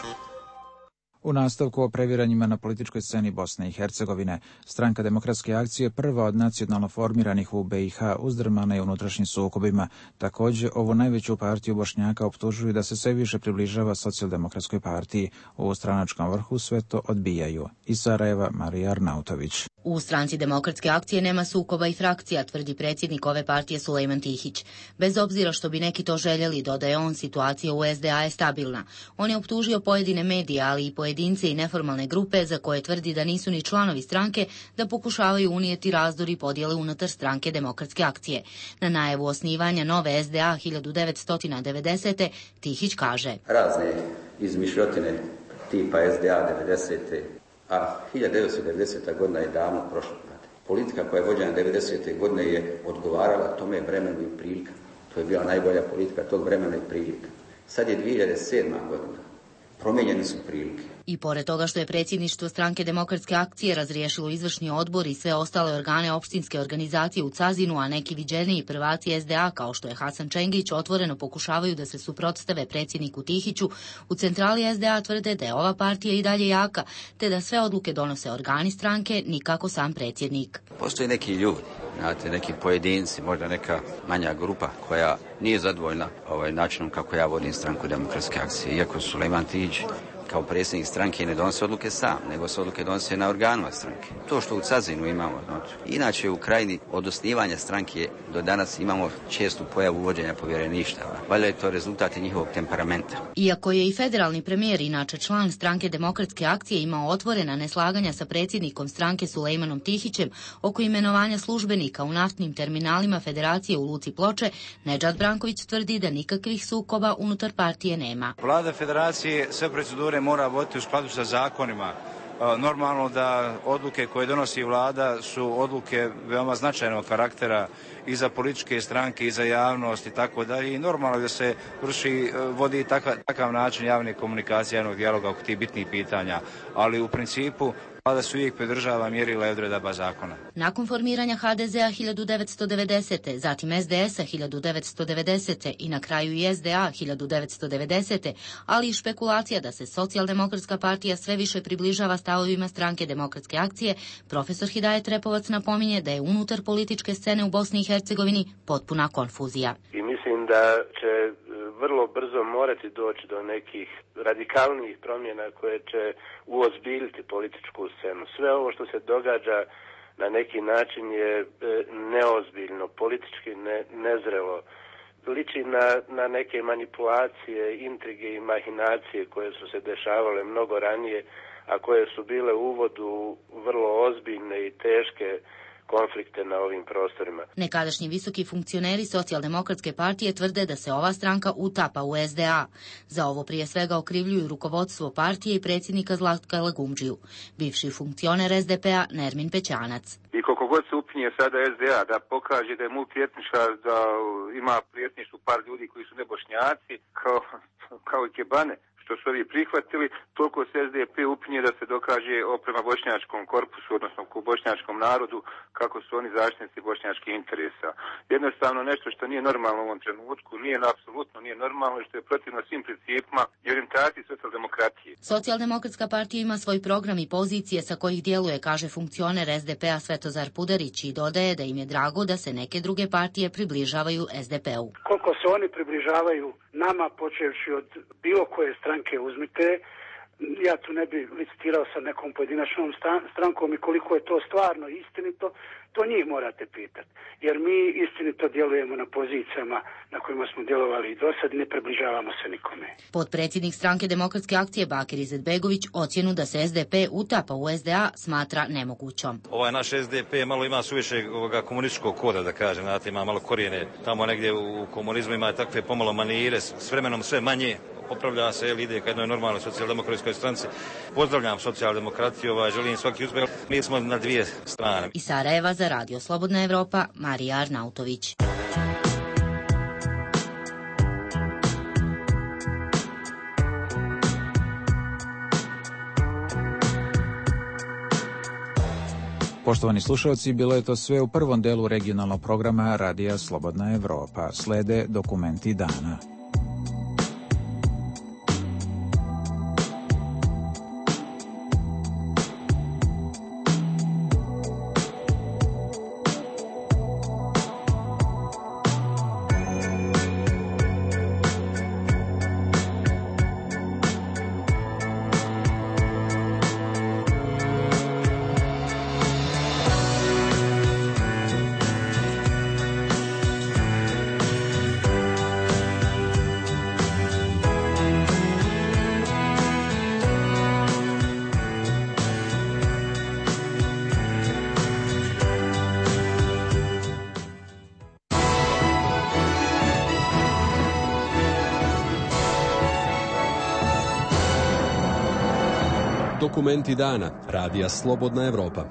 U nastavku o previranjima na političkoj sceni Bosne i Hercegovine, Stranka demokratske akcije, prva od nacionalno formiranih u B i H, uzdrmana je unutrašnjim sukobima. Također, ovu najveću partiju Bošnjaka optužuju da se sve više približava socijaldemokratskoj partiji. U stranačkom vrhu sve to odbijaju. Iz Sarajeva, Marija Arnautović. U Stranci demokratske akcije nema sukoba i frakcija, tvrdi predsjednik ove partije Sulejman Tihić. Bez obzira što bi neki to željeli, dodaje on, situacija u S D A je stabilna. On je optužio pojedine medije, ali i pojedince i neformalne grupe, za koje tvrdi da nisu ni članovi stranke, da pokušavaju unijeti razdor i podjele unutar Stranke demokratske akcije. Na najavu osnivanja nove S D A hiljadu devetsto devedesete. Tihić kaže: razne izmišljotine tipa S D A devedesete. A hiljadu devetsto devedeseta godina je davno prošla. Politika koja je vođena devedesete godine je odgovarala tome vremenu i prilika. To je bila najbolja politika tog vremena i prilika. Sad je dvije hiljade sedma godina. Promijenjene su prilike. I pored toga što je predsjedništvo Stranke demokratske akcije razriješilo izvršni odbor i sve ostale organe opštinske organizacije u Cazinu, a neki viđeniji prvaci S D A, kao što je Hasan Čengić, otvoreno pokušavaju da se suprotstave predsjedniku Tihiću, u centrali S D A tvrde da je ova partija i dalje jaka, te da sve odluke donose organi stranke, nikako sam predsjednik. Postoji neki ljudi, znate, neki pojedinci, možda neka manja grupa koja nije zadovoljna ovaj načinom kako ja vodim Stranku demokratske akcije, iako Sulejman Tihić kao predsjednik stranke ne donose odluke sam, nego se odluke donose na organima stranke. To što u Cazinu imamo, znači, inače u Krajini od osnivanja stranke do danas imamo čestu pojavu uvođenja povjereništava. Valjda je to rezultat njihovog temperamenta. Iako je i federalni premijer, inače član Stranke demokratske akcije, imao otvorena neslaganja sa predsjednikom stranke Sulejmanom Tihićem oko imenovanja službenika u naftnim terminalima Federacije u Luci Ploče, Nedžad Branković tvrdi da nikakvih sukoba unutar partije nema. Vlada Federacije sve procedure mora voditi u skladu sa zakonima. Normalno da odluke koje donosi vlada su odluke veoma značajnog karaktera i za političke stranke i za javnost i tako dalje. I normalno da se vrši, vodi takav, takav način javne komunikacije, javnog dijaloga oko tih bitnih pitanja. Ali u principu vlada se uvijek pridržava mjerila i odredaba zakona. Nakon formiranja H D Z-a hiljadu devetsto devedesete. zatim S D S-a hiljadu devetsto devedesete. i na kraju i S D A hiljadu devetsto devedesete. ali i špekulacija da se socijaldemokratska partija sve više približava stavovima Stranke demokratske akcije, profesor Hidajet Repovac napominje da je unutar političke scene u Bosni i Hercegovini potpuna konfuzija. I mislim da će vrlo brzo morati doći do nekih radikalnijih promjena koje će uozbiljiti političku scenu. Sve ovo što se događa na neki način je neozbiljno, politički ne, nezrelo. Liči na, na neke manipulacije, intrige i mahinacije koje su se dešavale mnogo ranije, a koje su bile u uvodu vrlo ozbiljne i teške konflikte na ovim prostorima. Nekadašnji visoki funkcioneri socijaldemokratske partije tvrde da se ova stranka utapa u S D A. Za ovo prije svega okrivljuju rukovodstvo partije i predsjednika Zlatka Lagumdžiju. Bivši funkcioner S D P-a Nermin Pećanac. I koliko god se upinje sada S D A da pokaže da je multietnička, da ima prijetništvo par ljudi koji su nebošnjaci, kao, kao i kebane, što su ovi prihvatili, toliko se S D P upinje da se dokaže o prema bošnjačkom korpusu, odnosno ku bošnjačkom narodu, kako su oni zaštitnici bošnjačkih interesa. Jednostavno nešto što nije normalno u ovom trenutku, nije apsolutno nije normalno i što je protivno svim principima i orijentaciji socijaldemokratije. Socijaldemokratska partija ima svoj program i pozicije sa kojih djeluje, kaže funkcioner S D P-a Svetozar Pudarić, i dodaje da im je drago da se neke druge partije približavaju S D P-u. Koliko se oni približavaju nama, počevši od bilo koje stranke uzmite, ja tu ne bi licitirao sa nekom pojedinačnom strankom i koliko je to stvarno istinito, to njih morate pitati. Jer mi istinito djelujemo na pozicijama na kojima smo djelovali i do sad, ne približavamo se nikome. Potpredsjednik Stranke demokratske akcije Bakir Izetbegović ocjenu da se S D P utapa u S D A smatra nemogućom. Ovaj naš S D P malo ima suviše ovoga komunističkog koda, da kažem, znate, ima malo korijene. Tamo negdje u komunizmu ima takve pomalo manire, s vremenom sve manje. Popravlja se, jel, ide ka jednoj normalnoj socijaldemokratskoj stranci. Pozdravljam socijaldemokratiju, ovaj, želim svaki uspjeh. Mi smo na dvije strane. Iz Sarajeva za Radio Slobodna Evropa, Marija Arnautović. Poštovani slušalci, bilo je to sve u prvom delu regionalnog programa Radija Slobodna Evropa. Slede dokumenti dana. Dokumenti dana radija Slobodna Evropa.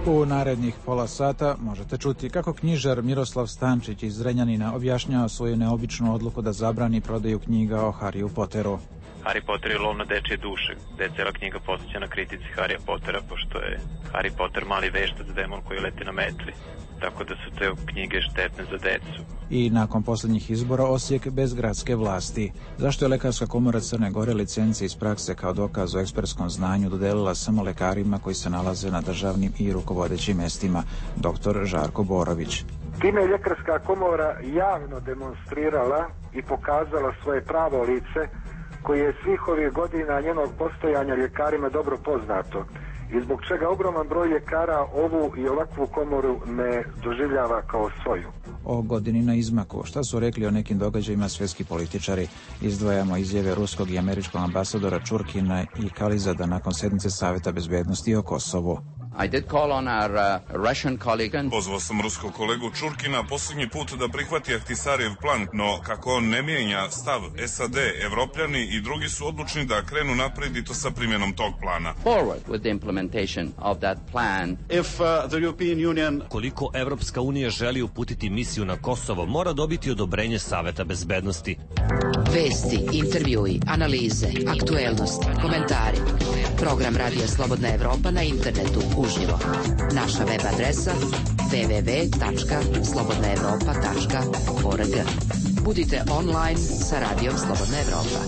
U narednih pola sata možete čuti kako knjižar Miroslav Stančić iz Zrenjanina objašnjava svoju neobičnu odluku da zabrani prodaju knjiga o Harryu Potteru. Harry Potter je lov na dečije duše, gde je cela knjiga posvećena kritici Harrya Pottera, pošto je Harry Potter mali veštac demon koji leti na metli. Tako da su te knjige štetne za decu. I nakon posljednjih izbora Osijek bez gradske vlasti. Zašto je Lekarska komora Crne Gore licence iz prakse kao dokaz o ekspertskom znanju dodelila samo lekarima koji se nalaze na državnim i rukovodećim mestima? Doktor Žarko Borović. Time je Ljekarska komora javno demonstrirala i pokazala svoje pravo lice koje je svih ovih godina njenog postojanja ljekarima dobro poznato i zbog čega ogroman broj ljekara ovu i ovakvu komoru ne doživljava kao svoju. O godini na izmaku, šta su rekli o nekim događajima svjetski političari? Izdvajamo izjave ruskog i američkog ambasadora Čurkina i Kalizada nakon sednice Saveta bezbednosti o Kosovu. I did call on our uh, Russian colleague. Pozvao sam ruskog kolegu Čurkina posljednji put da prihvati Ahtisarijev plan, no kako on ne mijenja stav S A D, Evropljani i drugi su odlučni da krenu naprijed i to sa primjenom tog plana. Forward with the implementation of that plan. If uh, the European Union... Koliko Evropska unija želi uputiti misiju na Kosovo, mora dobiti odobrenje Saveta bezbednosti. Vesti, intervjui, analize, aktuelnosti, komentari. Program Radija Slobodna Evropa na internetu uživo. Naša web adresa w w w tačka slobodna evropa tačka org. Budite online sa Radijom Slobodna Evropa.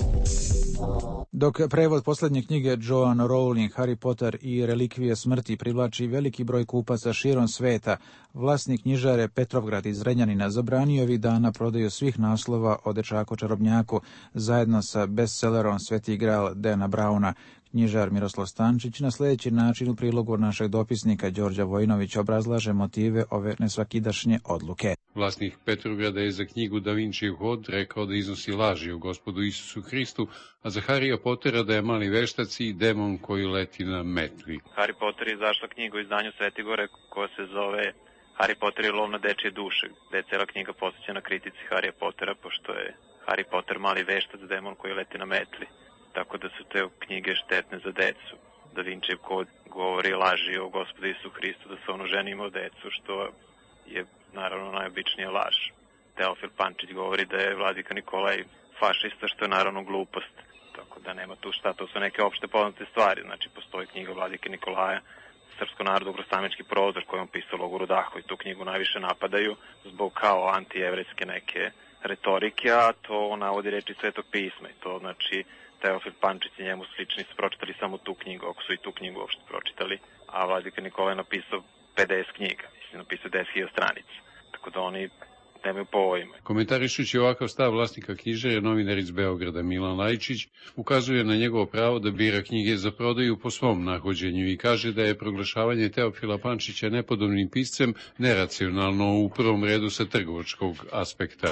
Dok prevod posljednje knjige Joanne Rowling, Harry Potter i relikvije smrti privlači veliki broj kupaca širom sveta, vlasnik knjižare Petrovgrad iz Zrenjanina zabranio ovih dana prodaju svih naslova o dečaku čarobnjaku zajedno sa bestsellerom Sveti Gral Dana Browna. Knjižar Miroslav Stančić na sljedeći način u prilogu našeg dopisnika Đorđa Vojinovića obrazlaže motive ove nesvakidašnje odluke. Vlasnik Petrovgrada je za knjigu Da Vincijev hod rekao da iznosi laži o Gospodu Isusu Hristu, a za Harrya Pottera da je mali veštac i demon koji leti na metli. Harry Potter je izašla knjiga u izdanju Svetigore koja se zove Harry Potter je lov na dečije duše, gde je cela knjiga posvećena kritici Harrya Pottera, pošto je Harry Potter mali veštac demon koji leti na metli. Tako da su te knjige štetne za decu. Da Vincijev kod govori laži o Gospodu Isusu Hristu, da se ono ženi imao decu, što je naravno najobičnija laž. Teofil Pančić govori da je vladika Nikolaj fašista, što je naravno glupost. Tako da nema tu šta, to su neke opšte poznate stvari. Znači, postoji knjiga vladike Nikolaja, Srpsko narodno grostamički prozor koji on pisao logoru Daho i tu knjigu najviše napadaju zbog kao antijevrejske neke retorike, a to navodi reči Svetog pisma i to znači Teofil Pančić i njemu slični su pročitali samo tu knjigu, ako su i tu knjigu uopšte pročitali, a vladika Nikola je napisao pedeset knjiga, mislim, napisao deset hiljada stranica, tako da oni nemaju pojma. Komentarišući ovakav stav vlasnika knjižare, novinar iz Beograda Milan Lajčić ukazuje na njegovo pravo da bira knjige za prodaju po svom nahođenju i kaže da je proglašavanje Teofila Pančića nepodobnim piscem neracionalno u prvom redu sa trgovačkog aspekta.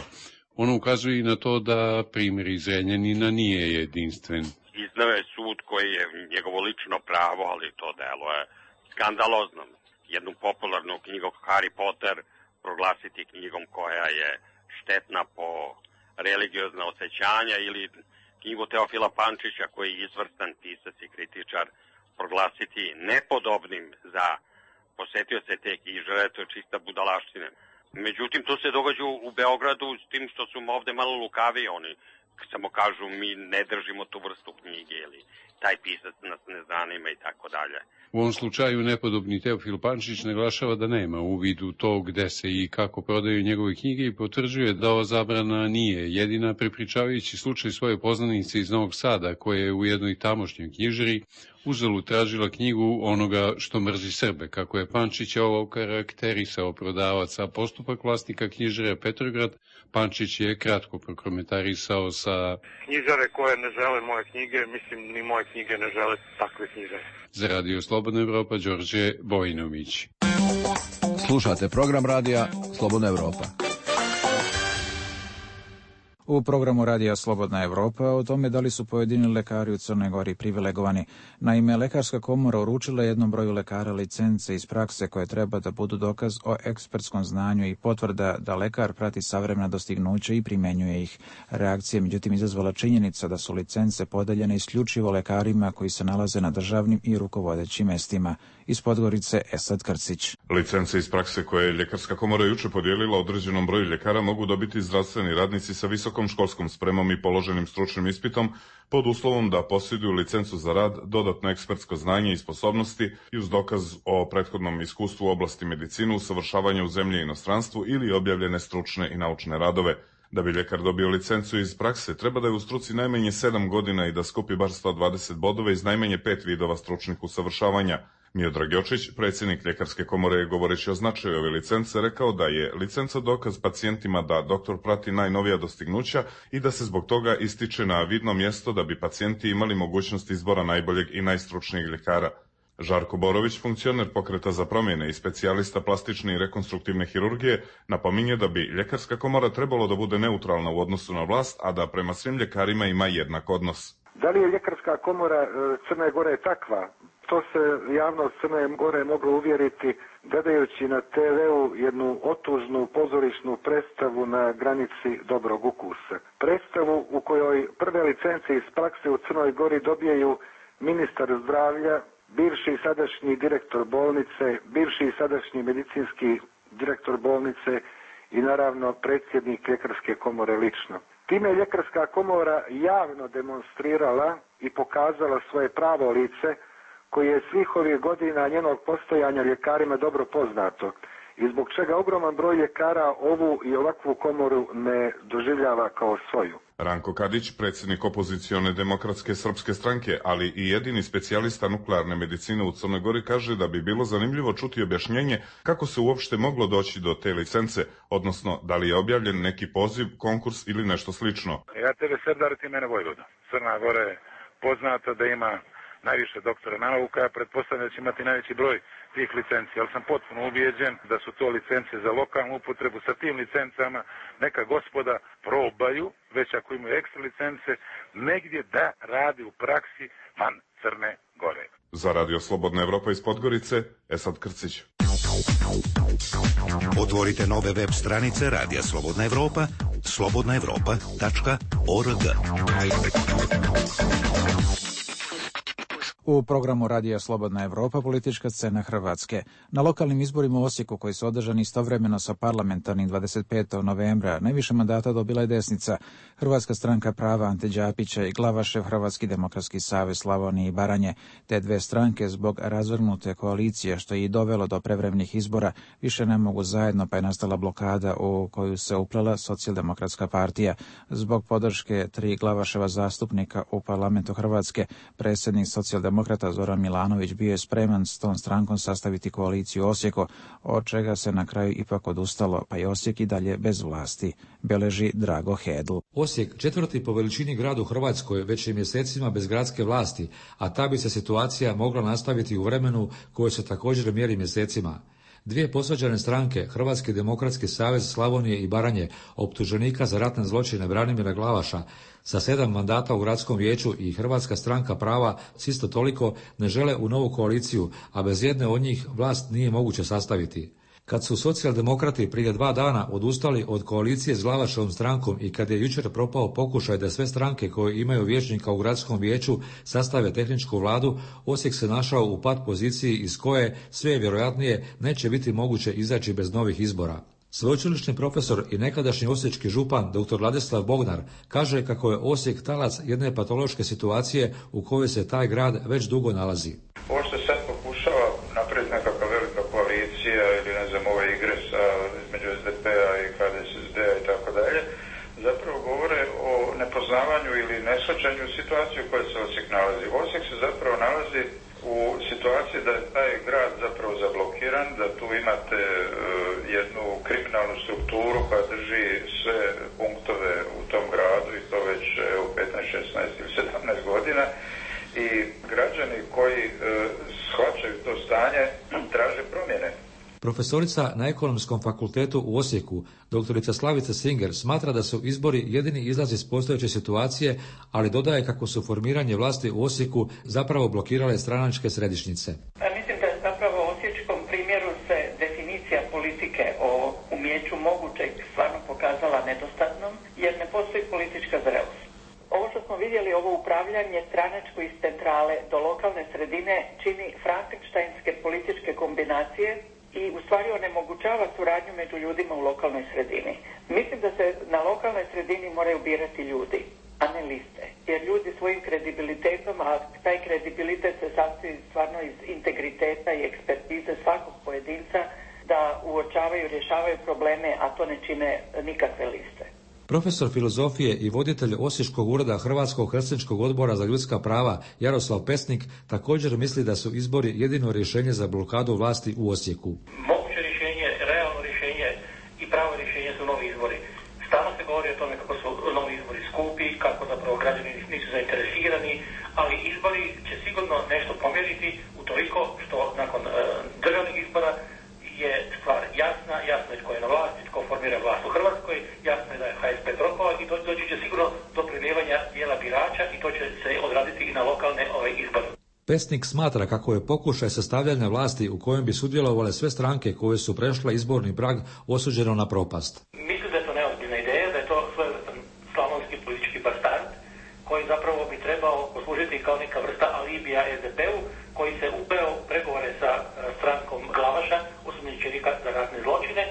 Ono ukazuje i na to da primjer iz Zrenjanina nije jedinstven. Iznao je sud koji je njegovo lično pravo, ali to delo je skandalozno. Jednu popularnu knjigu Harry Potter proglasiti knjigom koja je štetna po religiozna osjećanja ili knjigu Teofila Pančića koji je izvrstan pisac i kritičar proglasiti nepodobnim za posetioce te knjižare, to je čista budalaština. Međutim, to se događa u Beogradu s tim što su ovde malo lukavi, oni samo kažu mi ne držimo tu vrstu knjige ili taj pisac nas ne zanima i tako dalje. U ovom slučaju nepodobni Teofil Pančić naglašava da nema uvid u to gde se i kako prodaju njegove knjige i potvrđuje da ova zabrana nije jedina, prepričavajući slučaj svoje poznanice iz Novog Sada koja je u jednoj tamošnjoj knjižari uzalud tražila knjigu Onoga što mrzi Srbe, kako je Pančić ovo karakterisao prodavac, a postupak vlasnika knjižare Petrograd Pančić je kratko prokomentarisao sa knjižare koje ne žele moje knjige, mislim ni moje knjige ne žele takve knjižare. Za Radio Slobodna Evropa, Đorđe Vojinović. Slušate program radija Slobodna Evropa. U programu Radija Slobodna Evropa o tome da li su pojedini lekari u Crnoj Gori privilegovani. Naime, Lekarska komora uručila jednom broju lekara licence iz prakse koje treba da budu dokaz o ekspertskom znanju i potvrda da lekar prati savremena dostignuća i primenjuje ih. Reakcija međutim izazvala činjenica da su licence podeljene isključivo lekarima koji se nalaze na državnim i rukovodećim mestima. Iz Podgorice Esad Krcić. Licence iz prakse koje je Ljekarska komora juče podijelila određenom broju ljekara mogu dobiti zdravstveni radnici sa visokom školskom spremom i položenim stručnim ispitom pod uslovom da posjeduju licencu za rad, dodatno ekspertsko znanje i sposobnosti i uz dokaz o prethodnom iskustvu u oblasti medicine, usavršavanja u zemlji i inostranstvu ili objavljene stručne i naučne radove. Da bi ljekar dobio licencu iz prakse, treba da je u struci najmanje sedam godina i da skupi bar sto dvadeset bodova iz najmanje pet vidova stručnih usavršavanja. Miodrag Jočić, predsjednik Ljekarske komore, govoreći o značaju ove licence, rekao da je licenca dokaz pacijentima da doktor prati najnovija dostignuća i da se zbog toga ističe na vidno mjesto da bi pacijenti imali mogućnost izbora najboljeg i najstručnijeg ljekara. Žarko Borović, funkcioner Pokreta za promjene i specijalista plastične i rekonstruktivne hirurgije, napominje da bi Ljekarska komora trebalo da bude neutralna u odnosu na vlast, a da prema svim ljekarima ima jednak odnos. Da li je Ljekarska komora Crne Gore takva? To se javnost Crne Gore moglo uvjeriti gledajući na te veu jednu otužnu pozorišnu predstavu na granici dobrog ukusa. Predstavu u kojoj prve licence iz prakse u Crnoj Gori dobijaju ministar zdravlja, bivši i sadašnji direktor bolnice, bivši i sadašnji medicinski direktor bolnice i naravno predsjednik Ljekarske komore lično. Time je Ljekarska komora javno demonstrirala i pokazala svoje pravo lice koji je svih ovih godina njenog postojanja ljekarima dobro poznato i zbog čega ogroman broj ljekara ovu i ovakvu komoru ne doživljava kao svoju. Ranko Kadić, predsjednik opozicione demokratske srpske stranke, ali i jedini specijalista nuklearne medicine u Crnoj Gori, kaže da bi bilo zanimljivo čuti objašnjenje kako se uopšte moglo doći do te licence, odnosno da li je objavljen neki poziv, konkurs ili nešto slično. Ja tebe Serdar, ti mene Vojvoda. Crna Gora je poznata da ima najviše doktora nauka, ja pretpostavljam da će imati najveći broj tih licenci, ali sam potpuno ubijeđen da su to licence za lokalnu upotrebu. Sa tim licencama neka gospoda probaju, već ako imaju ekstra licence, negdje da radi u praksi van Crne Gore. Za Radio Slobodna Evropa iz Podgorice, Esad Krcić. Otvorite nove web stranice Radija Slobodna Evropa, slobodna evropa tačka org. U programu Radija Slobodna Evropa politička scena Hrvatske. Na lokalnim izborima u Osijeku koji su održani istovremeno sa parlamentarnim dvadeset petog novembra najviše mandata dobila je desnica, Hrvatska stranka prava Ante Đapića i Glavašev Hrvatski demokratski savez Slavonije i Baranje. Te dve stranke zbog razvrgnute koalicije što je i dovelo do prevremenih izbora više ne mogu zajedno, pa je nastala blokada u koju se uplela Socijaldemokratska partija. Zbog podrške tri Glavaševa zastupnika u parlamentu Hrvatske, predsjednik Socijaldemokrata Demokrata Zoran Milanović bio je spreman s tom strankom sastaviti koaliciju u Osijeku, od čega se na kraju ipak odustalo, pa je Osijek i dalje bez vlasti, beleži Drago Hedl. Osijek, četvrti po veličini grad u Hrvatskoj, već je mjesecima bez gradske vlasti, a ta bi se situacija mogla nastaviti u vremenu koje se također mjeri mjesecima. Dvije posvađane stranke, Hrvatski demokratski savez Slavonije i Baranje, optuženika za ratne zločine Branimira Glavaša, sa sedam mandata u gradskom vijeću i Hrvatska stranka prava s isto toliko ne žele u novu koaliciju, a bez jedne od njih vlast nije moguće sastaviti. Kad su socijaldemokrati prije dva dana odustali od koalicije s Glavaševom strankom i kad je jučer propao pokušaj da sve stranke koje imaju vijećnika u gradskom vijeću sastave tehničku vladu, Osijek se našao u pat poziciji iz koje sve vjerojatnije neće biti moguće izaći bez novih izbora. Sveučilišni profesor i nekadašnji osječki župan dr. Ladislav Bognar kaže kako je Osijek talac jedne patološke situacije u kojoj se taj grad već dugo nalazi. Ovo što sad pokušava napraviti nekakva velika koalicija ili ne znam ove igre sa, između es de pe a i ha de es es de a i tako dalje, zapravo govore o nepoznavanju ili neshvaćanju situacije u kojoj se Osijek nalazi. Osijek se zapravo nalazi u situaciji da je taj grad zapravo zablokiran, da tu imate uh, jednu kriminalnu strukturu koja drži sve punktove u tom gradu i to već evo, petnaest, šesnaest ili sedamnaest godina i građani koji uh, shvaćaju to stanje traže promjene. Profesorica na Ekonomskom fakultetu u Osijeku, doktorica Slavica Singer, smatra da su izbori jedini izlaz iz postojeće situacije, ali dodaje kako su formiranje vlasti u Osijeku zapravo blokirale stranačke središnjice. Mislim da je zapravo u osječkom primjeru se definicija politike o umijeću mogućeg stvarno pokazala nedostatnom, jer ne postoji politička zrelost. Ovo što smo vidjeli, ovo upravljanje stranačko iz centrale do lokalne sredine čini frankenštajnske političke kombinacije i u stvari onemogućava suradnju među ljudima u lokalnoj sredini. Mislim da se na lokalnoj sredini moraju birati ljudi, a ne liste. Jer ljudi svojim kredibilitetom, a taj kredibilitet se sastoji stvarno iz integriteta i ekspertize svakog pojedinca, da uočavaju i rješavaju probleme, a to ne čine nikakve liste. Profesor filozofije i voditelj Osječkog ureda Hrvatskog helsinškog odbora za ljudska prava Jaroslav Pesnik također misli da su izbori jedino rješenje za blokadu vlasti u Osijeku. Moguće rješenje, realno rješenje i pravo rješenje su novi izbori. Stalno se govori o tome kako su novi izbori skupi, kako zapravo građani nisu zainteresirani, ali izbori će sigurno nešto pomjeriti utoliko što nakon e, državnih izbora je stvar jasna, jasno je tko je na vlasti, tko formira vlast u Hrvatskoj, jasno je da je H S P propao i do, doći će sigurno do prelijevanja dijela birača i to će se odraditi i na lokalne ove izbore. Pesnik smatra kako je pokušaj sastavljanja vlasti u kojem bi sudjelovale sve stranke koje su prešle izborni prag osuđeno na propast. Mislim da je to neozbiljna ideja, da je to svojevrstan slavonski politički bastard koji zapravo bi trebao poslužiti kao neka vrsta alibija S D P-u koji se upeo u pregovore sa strankom Glavaša, osumnjičenika za ratne zločine,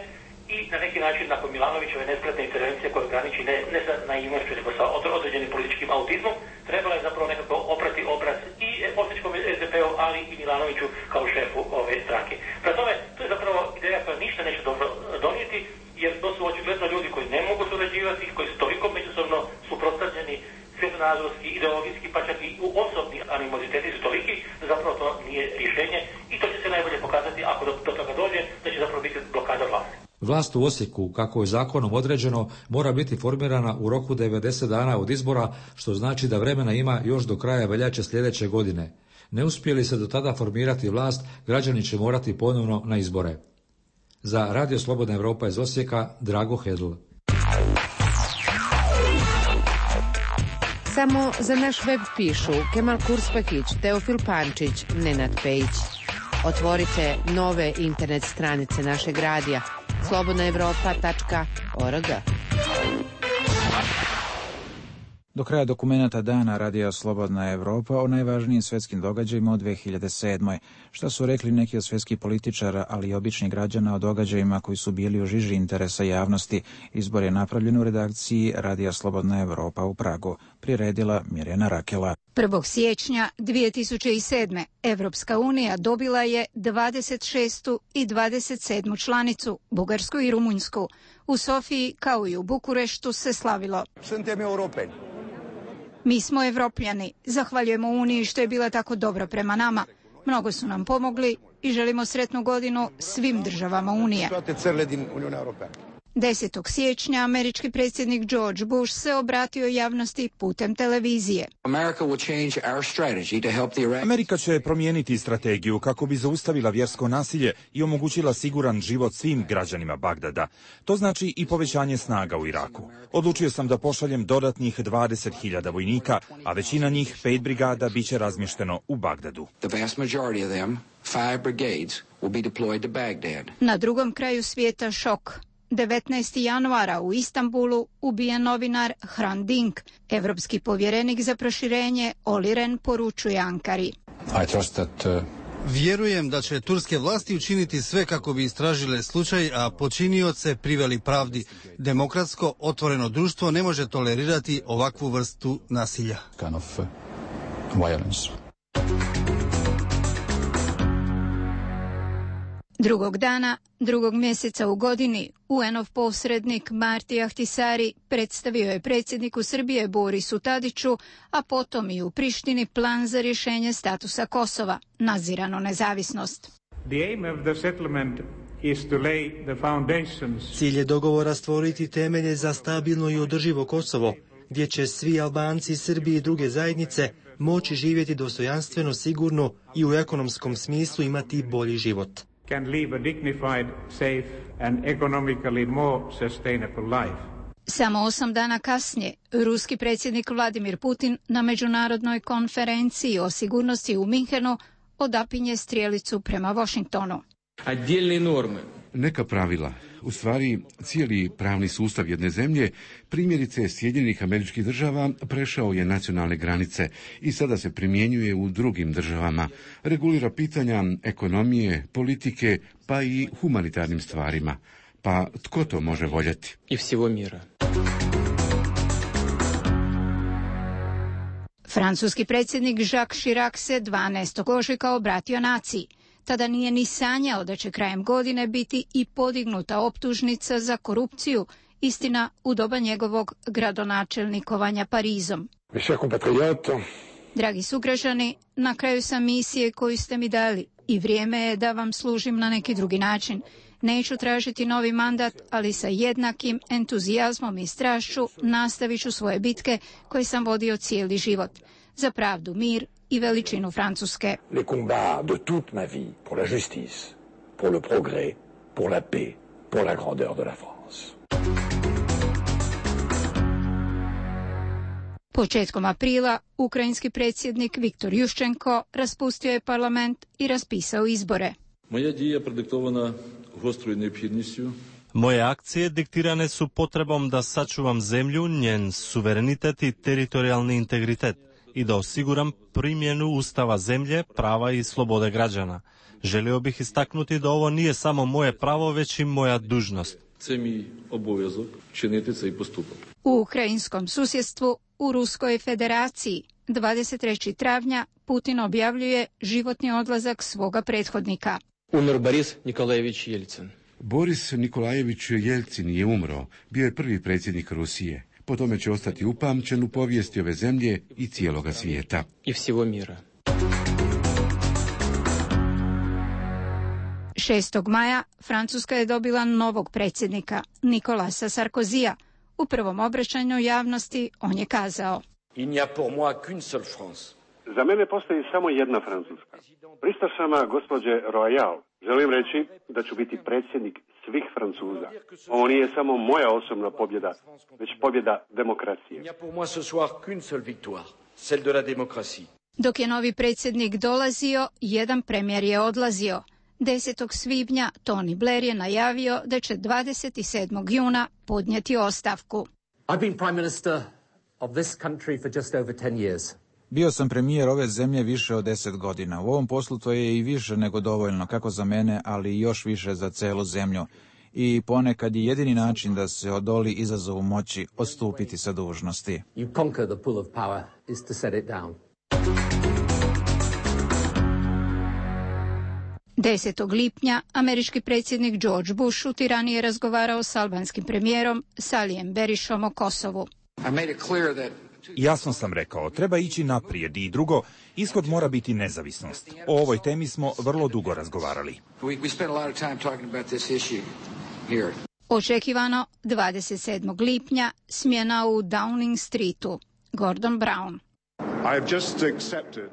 i na neki način nakon Milanovićeve nespretne intervencije koje graniči ne, ne sa naivnošću, nego sa određenim političkim autizmom, trebalo je zapravo nekako oprati obraz i osječkom S D P-u, ali i Milanoviću kao šefu ove stranke. Prema tome, to je zapravo ideja koja ništa neće dobro donijeti, jer to su očigledno ljudi koji ne mogu surađivati, koji su toliko međusobno suprotstavljeni, svjetonazorski, ideologijski, pa čak i u osobni animoziteti su toliki, da zapravo to nije rješenje i to će se najbolje pokazati ako do, do toga dođe, da će zapravo biti blokada vlasti. Vlast u Osijeku, kako je zakonom određeno, mora biti formirana u roku devedeset dana od izbora, što znači da vremena ima još do kraja veljače sljedeće godine. Ne uspije li se do tada formirati vlast, građani će morati ponovno na izbore. Za Radio Slobodna Evropa iz Osijeka, Drago Hedl. Samo za naš web pišu Kemal Kurspakić, Teofil Pančić, Nenad Pejić. Otvorite nove internet stranice našeg radija slobodna evropa tačka org. Do kraja dokumenata dana Radija Slobodna Evropa o najvažnijim svjetskim događajima od dve hiljade sedme. Šta su rekli neki od svjetskih političara, ali i običnih građana o događajima koji su bili u žiži interesa javnosti. Izbor je napravljen u redakciji Radija Slobodna Evropa u Pragu. Priredila Mirjana Rakela. prvog siječnja dvije tisuće sedme. Evropska unija dobila je dvadeset šestu i dvadeset sedmu članicu, Bugarsku i Rumunjsku. U Sofiji, kao i u Bukureštu, se slavilo. Suntem europeni. Mi smo Evropljani. Zahvaljujemo Uniji što je bila tako dobra prema nama. Mnogo su nam pomogli i želimo sretnu godinu svim državama Unije. desetog siječnja američki predsjednik George Bush se obratio javnosti putem televizije. Amerika će promijeniti strategiju kako bi zaustavila vjersko nasilje i omogućila siguran život svim građanima Bagdada. To znači i povećanje snaga u Iraku. Odlučio sam da pošaljem dodatnih dvadeset hiljada vojnika, a većina njih, pet brigada, bit će razmješteno u Bagdadu. Na drugom kraju svijeta šok. devetnaestog januara u Istanbulu ubijen novinar Hrant Dink. Evropski povjerenik za proširenje Olli Rehn poručuje Ankari. Vjerujem da će turske vlasti učiniti sve kako bi istražile slučaj, a počinioce priveli pravdi. Demokratsko, otvoreno društvo ne može tolerirati ovakvu vrstu nasilja. Drugog dana, drugog mjeseca u godini, U N-ov posrednik Marti Ahtisari predstavio je predsjedniku Srbije Borisu Tadiću, a potom i u Prištini plan za rješenje statusa Kosova, nazirano nezavisnost. Cilj je dogovora stvoriti temelje za stabilno i održivo Kosovo, gdje će svi Albanci, Srbi i druge zajednice moći živjeti dostojanstveno, sigurno i u ekonomskom smislu imati bolji život. can live a dignified, safe and economically more sustainable life. Samo osam dana kasnije, ruski predsjednik Vladimir Putin na međunarodnoj konferenciji o sigurnosti u Minhenu odapinje strijelicu prema Washingtonu. Neka pravila, u stvari cijeli pravni sustav jedne zemlje, primjerice Sjedinjenih Američkih Država, prešao je nacionalne granice i sada se primjenjuje u drugim državama. Regulira pitanja ekonomije, politike, pa i humanitarnim stvarima. Pa tko to može voljeti? I всего mira. Francuski predsjednik Jacques Chirac se dvanaestog ožujka obratio naciji. Tada nije ni sanjao da će krajem godine biti i podignuta optužnica za korupciju, istina u doba njegovog gradonačelnikovanja Parizom. Dragi sugrađani, na kraju sam misije koju ste mi dali i vrijeme je da vam služim na neki drugi način. Neću tražiti novi mandat, ali sa jednakim entuzijazmom i strašću nastavit ću svoje bitke koje sam vodio cijeli život. Za pravdu, mir i veličinu Francuske. Les combats de toute ma vie pour la justice, pour le progrès, pour la paix, pour la grandeur de la France. Početkom aprila, ukrajinski predsjednik Viktor Juščenko raspustio je parlament i raspisao izbore. Moja dija prediktovana gostrою neophodnістю. Moje akcije diktirane su potrebom da sačuvam zemlju, njen suverenitet i teritorijalni integritet i da osiguram primjenu ustava zemlje, prava i slobode građana. Želio bih istaknuti da ovo nije samo moje pravo, već i moja dužnost. Це мій обов'язок чинити цей поступок. U ukrajinskom susjedstvu, u Ruskoj federaciji, dvadeset trećeg travnja Putin objavljuje životni odlazak svoga prethodnika. Umr Boris Nikolajević Jelcin. Boris Nikolajević Jelcin je umro, bio je prvi predsjednik Rusije. Po tome će ostati upamćen u povijesti ove zemlje i cijeloga svijeta. I всего mira. šestog maja Francuska je dobila novog predsjednika, Nicolasa Sarkozija. U prvom obraćanju javnosti on je kazao: Il n'y a pour moi qu'une seule France. Za mene postoji samo jedna Francuska. Pristašama gospođe Royal želim reći da ću biti predsjednik svih Francuza. Ovo nije samo moja osobna pobjeda, već pobjeda demokracije. Il n'y a pour moi ce soir qu'une seule victoire, celle de la démocratie. Dok je novi predsjednik dolazio, jedan premijer je odlazio. desetog svibnja Tony Blair je najavio da će dvadeset sedmog juna podnijeti ostavku. I've been prime minister of this country for just over ten years. Bio sam premijer ove zemlje više od deset godina. U ovom poslu to je i više nego dovoljno, kako za mene, ali i još više za celu zemlju. I ponekad je jedini način da se odoli izazovu moći odstupiti sa dužnosti. You conquer the pull of power is to set it down. desetog lipnja američki predsjednik George Bush u Tirani je razgovarao s albanskim premijerom Salijem Berišom o Kosovu. Jasno sam rekao, treba ići naprijed i drugo, ishod mora biti nezavisnost. O ovoj temi smo vrlo dugo razgovarali. Očekivano dvadeset sedmog lipnja smjena u Downing Streetu. Gordon Brown.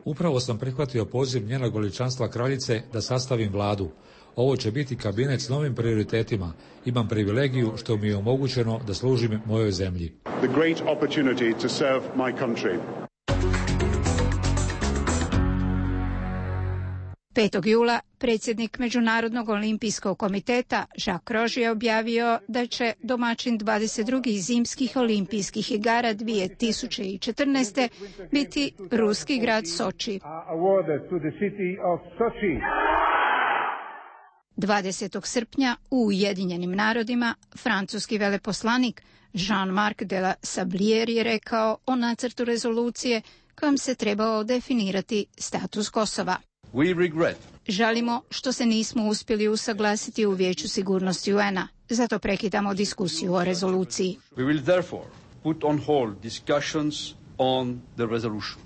Upravo sam prihvatio poziv njenog veličanstva kraljice da sastavim vladu. Ovo će biti kabinet s novim prioritetima. Imam privilegiju što mi je omogućeno da služim mojoj zemlji. The great opportunity to serve my country. petog jula predsjednik Međunarodnog olimpijskog komiteta Jacques Roche je objavio da će domaćin dvadeset drugih zimskih olimpijskih igara dvije tisuće četrnaeste. biti ruski grad Soči. dvadesetog srpnja u Ujedinjenim narodima francuski veleposlanik Jean-Marc de la Sablière je rekao o nacrtu rezolucije kojom se trebao definirati status Kosova. We regret. Žalimo što se nismo uspjeli usaglasiti u Vijeću sigurnosti U N-a, zato prekidamo diskusiju o rezoluciji. We will therefore put on hold discussions on the resolution.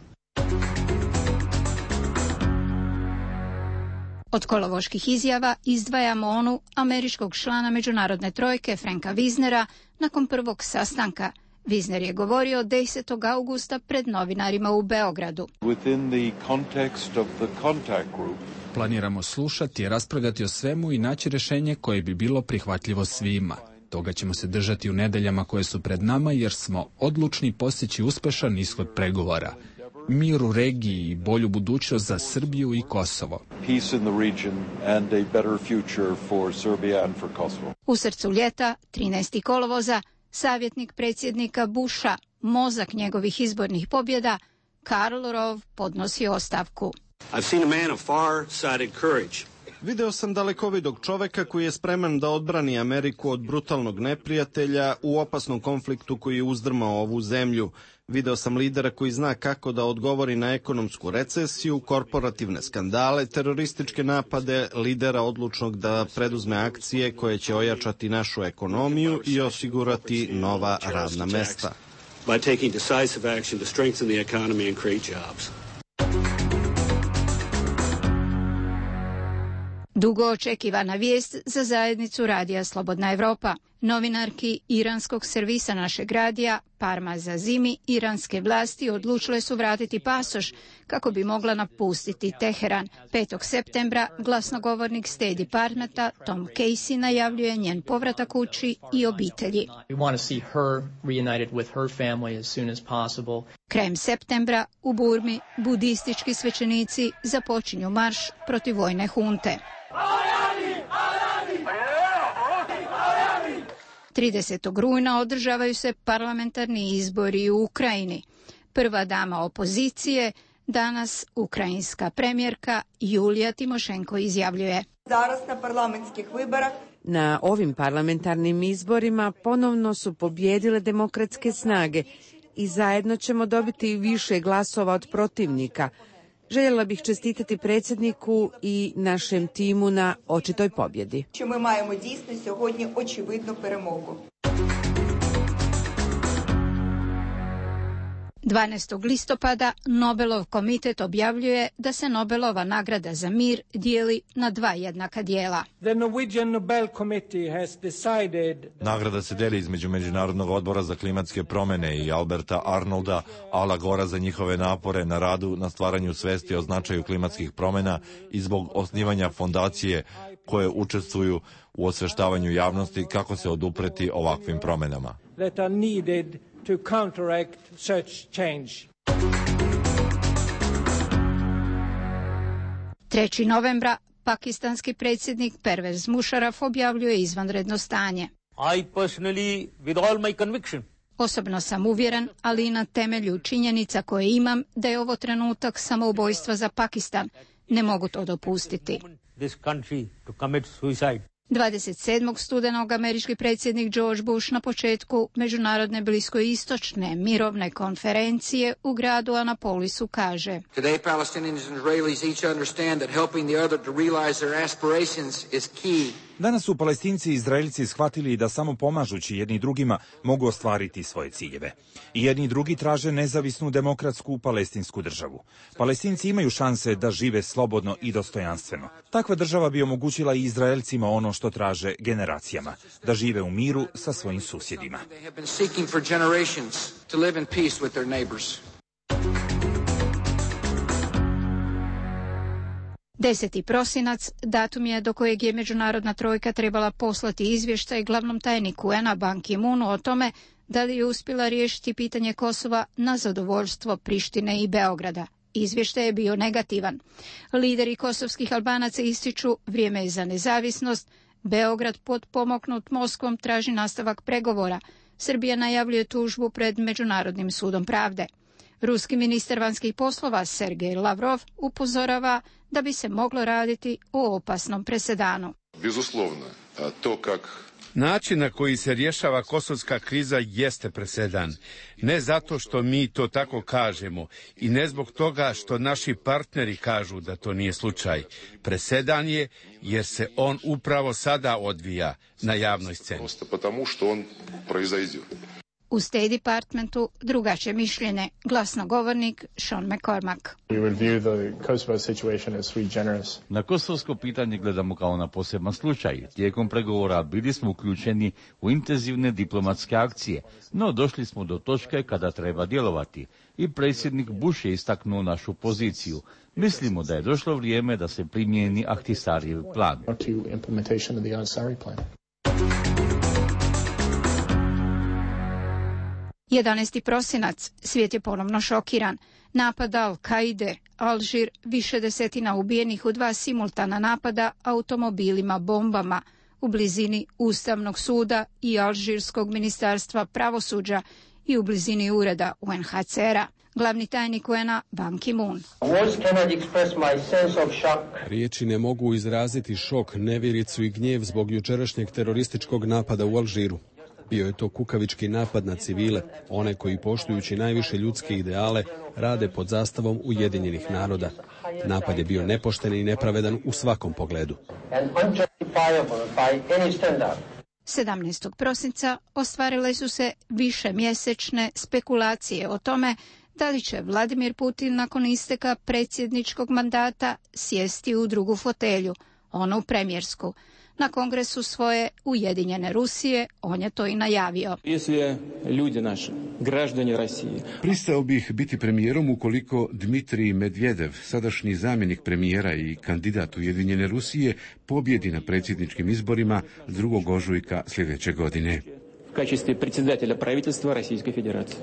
Od kolovoških izjava izdvajamo onu američkog člana međunarodne trojke Franka Wisnera nakon prvog sastanka. Wisner je govorio desetog augusta pred novinarima u Beogradu. Within the context of the contact group, Planiramo slušati i raspravljati o svemu i naći rješenje koje bi bilo prihvatljivo svima. Toga ćemo se držati u nedeljama koje su pred nama jer smo odlučni postići uspešan ishod pregovora. Mir u regiji i bolju budućnost za Srbiju i Kosovo. U srcu ljeta, trinaestog kolovoza, savjetnik predsjednika Busha, mozak njegovih izbornih pobjeda, Karl Rove podnosi ostavku. Video sam dalekovidog čoveka koji je spreman da odbrani Ameriku od brutalnog neprijatelja u opasnom konfliktu koji je uzdrmao ovu zemlju. Video sam lidera koji zna kako da odgovori na ekonomsku recesiju, korporativne skandale, terorističke napade, lidera odlučnog da preduzme akcije koje će ojačati našu ekonomiju i osigurati nova radna mesta. By taking decisive action to strengthen the economy and create jobs. Dugo očekivana vijest za zajednicu Radija Slobodna Evropa. Novinarki iranskog servisa našeg radija, Parma Zazimi, iranske vlasti odlučile su vratiti pasoš kako bi mogla napustiti Teheran. petog septembra glasnogovornik State Departmenta Tom Casey najavljuje njen povratak kući i obitelji. Krajem septembra u Burmi budistički svećenici započinju marš protiv vojne hunte. tridesetog rujna održavaju se parlamentarni izbori u Ukrajini. Prva dama opozicije, danas ukrajinska premijerka Julija Timošenko izjavljuje. Na ovim parlamentarnim izborima ponovno su pobjedile demokratske snage i zajedno ćemo dobiti više glasova od protivnika. Željela bih čestitati predsjedniku i našem timu na očitoj pobjedi. dvanaestog listopada Nobelov komitet objavljuje da se Nobelova nagrada za mir dijeli na dva jednaka dijela. Nagrada se deli između Međunarodnog odbora za klimatske promjene i Alberta Arnolda, Ala Gora za njihove napore na radu na stvaranju svesti o značaju klimatskih promjena i zbog osnivanja fondacije koje učestvuju u osveštavanju javnosti kako se odupreti ovakvim promjenama. To counteract such change. trećeg novembra pakistanski predsjednik Pervez Musharraf objavljuje izvanredno stanje. I personally, with all my conviction, Osobno sam uvjeren, ali i na temelju činjenica koje imam, da je ovo trenutak samoubojstva za Pakistan. Ne mogu to dopustiti. this country to commit suicide. dvadeset sedmog studenog američki predsjednik George Bush na početku međunarodne bliskoistočne mirovne konferencije u gradu Anapolisu kaže: Today Palestinians and Israelis each understand that helping the other to realize their aspirations is key. Danas su Palestinci i Izraelci shvatili da samo pomažući jedni drugima mogu ostvariti svoje ciljeve. I jedni i drugi traže nezavisnu demokratsku palestinsku državu. Palestinci imaju šanse da žive slobodno i dostojanstveno. Takva država bi omogućila i Izraelcima ono što traže generacijama, da žive u miru sa svojim susjedima. Deseti prosinac, datum je do kojeg je međunarodna trojka trebala poslati izvještaj glavnom tajniku U N-a Ban Ki-moonu o tome da li je uspjela riješiti pitanje Kosova na zadovoljstvo Prištine i Beograda. Izvještaj je bio negativan. Lideri kosovskih Albanaca ističu vrijeme je za nezavisnost, Beograd potpomognut Moskvom traži nastavak pregovora, Srbija najavljuje tužbu pred Međunarodnim sudom pravde. Ruski ministar vanjskih poslova Sergej Lavrov upozorava da bi se moglo raditi o opasnom presedanu. Bezuslovno, to kak... Način na koji se rješava kosovska kriza jeste presedan. Ne zato što mi to tako kažemo i ne zbog toga što naši partneri kažu da to nije slučaj. Presedan je jer se on upravo sada odvija na javnoj sceni. Prosto потому što on proizvodi. U State Departmentu drugačije mišljenje, glasnogovornik Sean McCormack. Na kosovsko pitanje gledamo kao na poseban slučaj. Tijekom pregovora bili smo uključeni u intenzivne diplomatske akcije, no došli smo do točke kada treba djelovati i predsjednik Bush je istaknuo našu poziciju. Mislimo da je došlo vrijeme da se primijeni Ahtisarijev plan. jedanaesti prosinac, svijet je ponovno šokiran. Napad Al-Kaide, Alžir, više desetina ubijenih u dva simultana napada automobilima bombama u blizini Ustavnog suda i Alžirskog ministarstva pravosuđa i u blizini ureda U N H C R-a. Glavni tajnik U N-a Ban Ki-moon. Riječi ne mogu izraziti šok, nevjericu i gnjev zbog jučerašnjeg terorističkog napada u Alžiru. Bio je to kukavički napad na civile, one koji poštujući najviše ljudske ideale rade pod zastavom Ujedinjenih naroda. Napad je bio nepošten i nepravedan u svakom pogledu. sedamnaestog prosinca ostvarile su se višemjesečne spekulacije o tome da li će Vladimir Putin nakon isteka predsjedničkog mandata sjesti u drugu fotelju, onu premijersku. Na kongresu svoje Ujedinjene Rusije on je to i najavio. Pristao bih biti premijerom ukoliko Dmitrij Medvedev, sadašnji zamjenik premijera i kandidat Ujedinjene Rusije, pobjedi na predsjedničkim izborima drugog ožujka sljedeće godine. U kачестве predsjedatelja правительства Российской Федерации.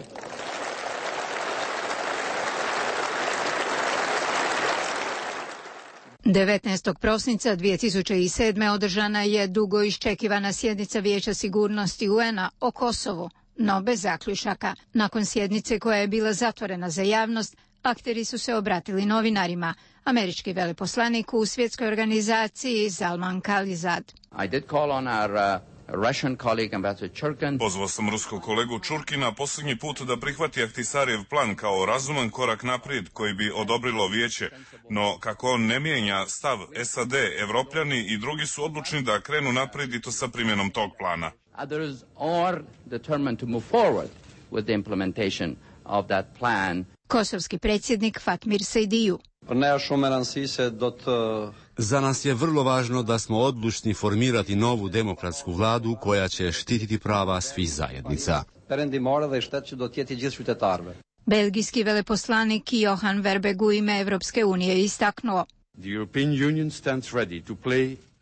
devetnaestog prosinca dvije tisuće sedme. održana je dugo iščekivana sjednica Vijeća sigurnosti U N-a o Kosovu, no bez zaključaka. Nakon sjednice koja je bila zatvorena za javnost, akteri su se obratili novinarima. Američki veleposlanik u svjetskoj organizaciji Zalman Khalilzad. I did call on our uh... Pozvao sam ruskog kolegu Čurkina posljednji put da prihvati Ahtisarijev plan kao razuman korak naprijed koji bi odobrilo vijeće, no kako on ne mijenja stav S A D, Evropljani i drugi su odlučni da krenu naprijed i to sa primjenom tog plana. Kosovski predsjednik Fatmir Sejdiju. Za nas je vrlo važno da smo odlučni formirati novu demokratsku vladu koja će štititi prava svih zajednica. Belgijski veleposlanik Johan Verbeek u ime Evropske unije istaknuo.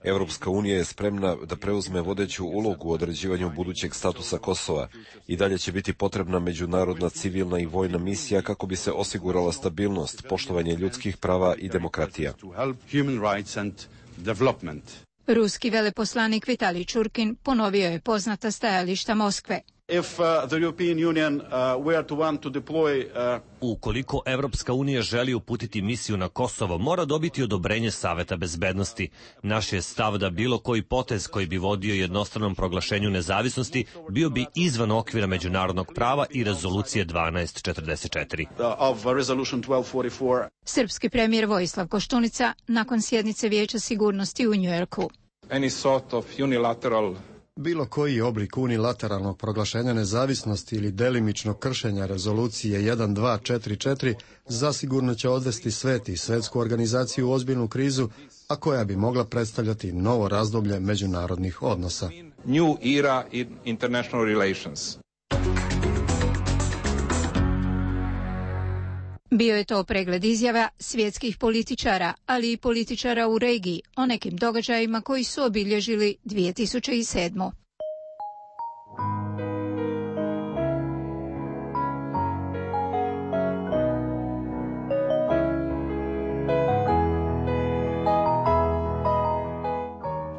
Evropska unija je spremna da preuzme vodeću ulogu u određivanju budućeg statusa Kosova i dalje će biti potrebna međunarodna civilna i vojna misija kako bi se osigurala stabilnost, poštovanje ljudskih prava i demokratija. Ruski veleposlanik Vitalij Čurkin ponovio je poznata stajališta Moskve. If uh, the European Union uh, were to want to deploy uh... Ukoliko Evropska unija želi uputiti misiju na Kosovo, mora dobiti odobrenje Saveta bezbednosti. Naš je stav da bilo koji potez koji bi vodio jednostranom proglašenju nezavisnosti bio bi izvan okvira međunarodnog prava i rezolucije dvanaest četrdeset četiri. Of resolution twelve forty-four. Srpski premijer Vojislav Koštunica nakon sjednice Vijeća sigurnosti u Njujorku. Any sort of unilateral Bilo koji oblik unilateralnog proglašenja nezavisnosti ili delimičnog kršenja rezolucije jedan dva četiri četiri zasigurno će odvesti svet i svetsku organizaciju u ozbiljnu krizu, a koja bi mogla predstavljati novo razdoblje međunarodnih odnosa. New era in international relations. Bio je to pregled izjava svjetskih političara, ali i političara u regiji o nekim događajima koji su obilježili dvije tisuće sedmu.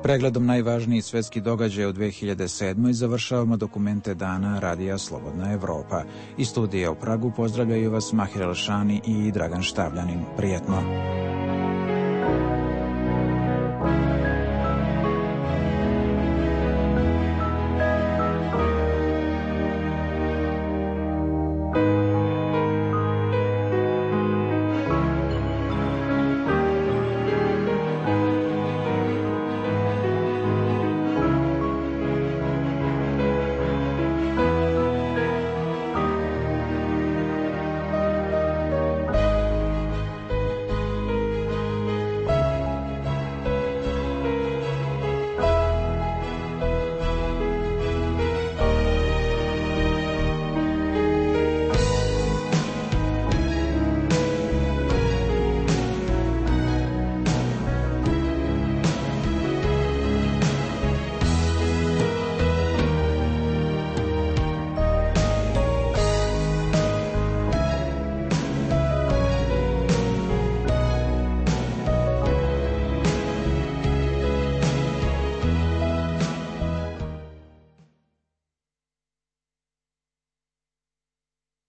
Pregledom najvažnijih svjetskih događaja u dvije hiljade sedmoj završavamo dokumente dana Radija Slobodna Evropa. Iz studija u Pragu pozdravljaju vas Mahir Elšani i Dragan Štavljanin. Prijetno!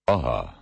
Aha.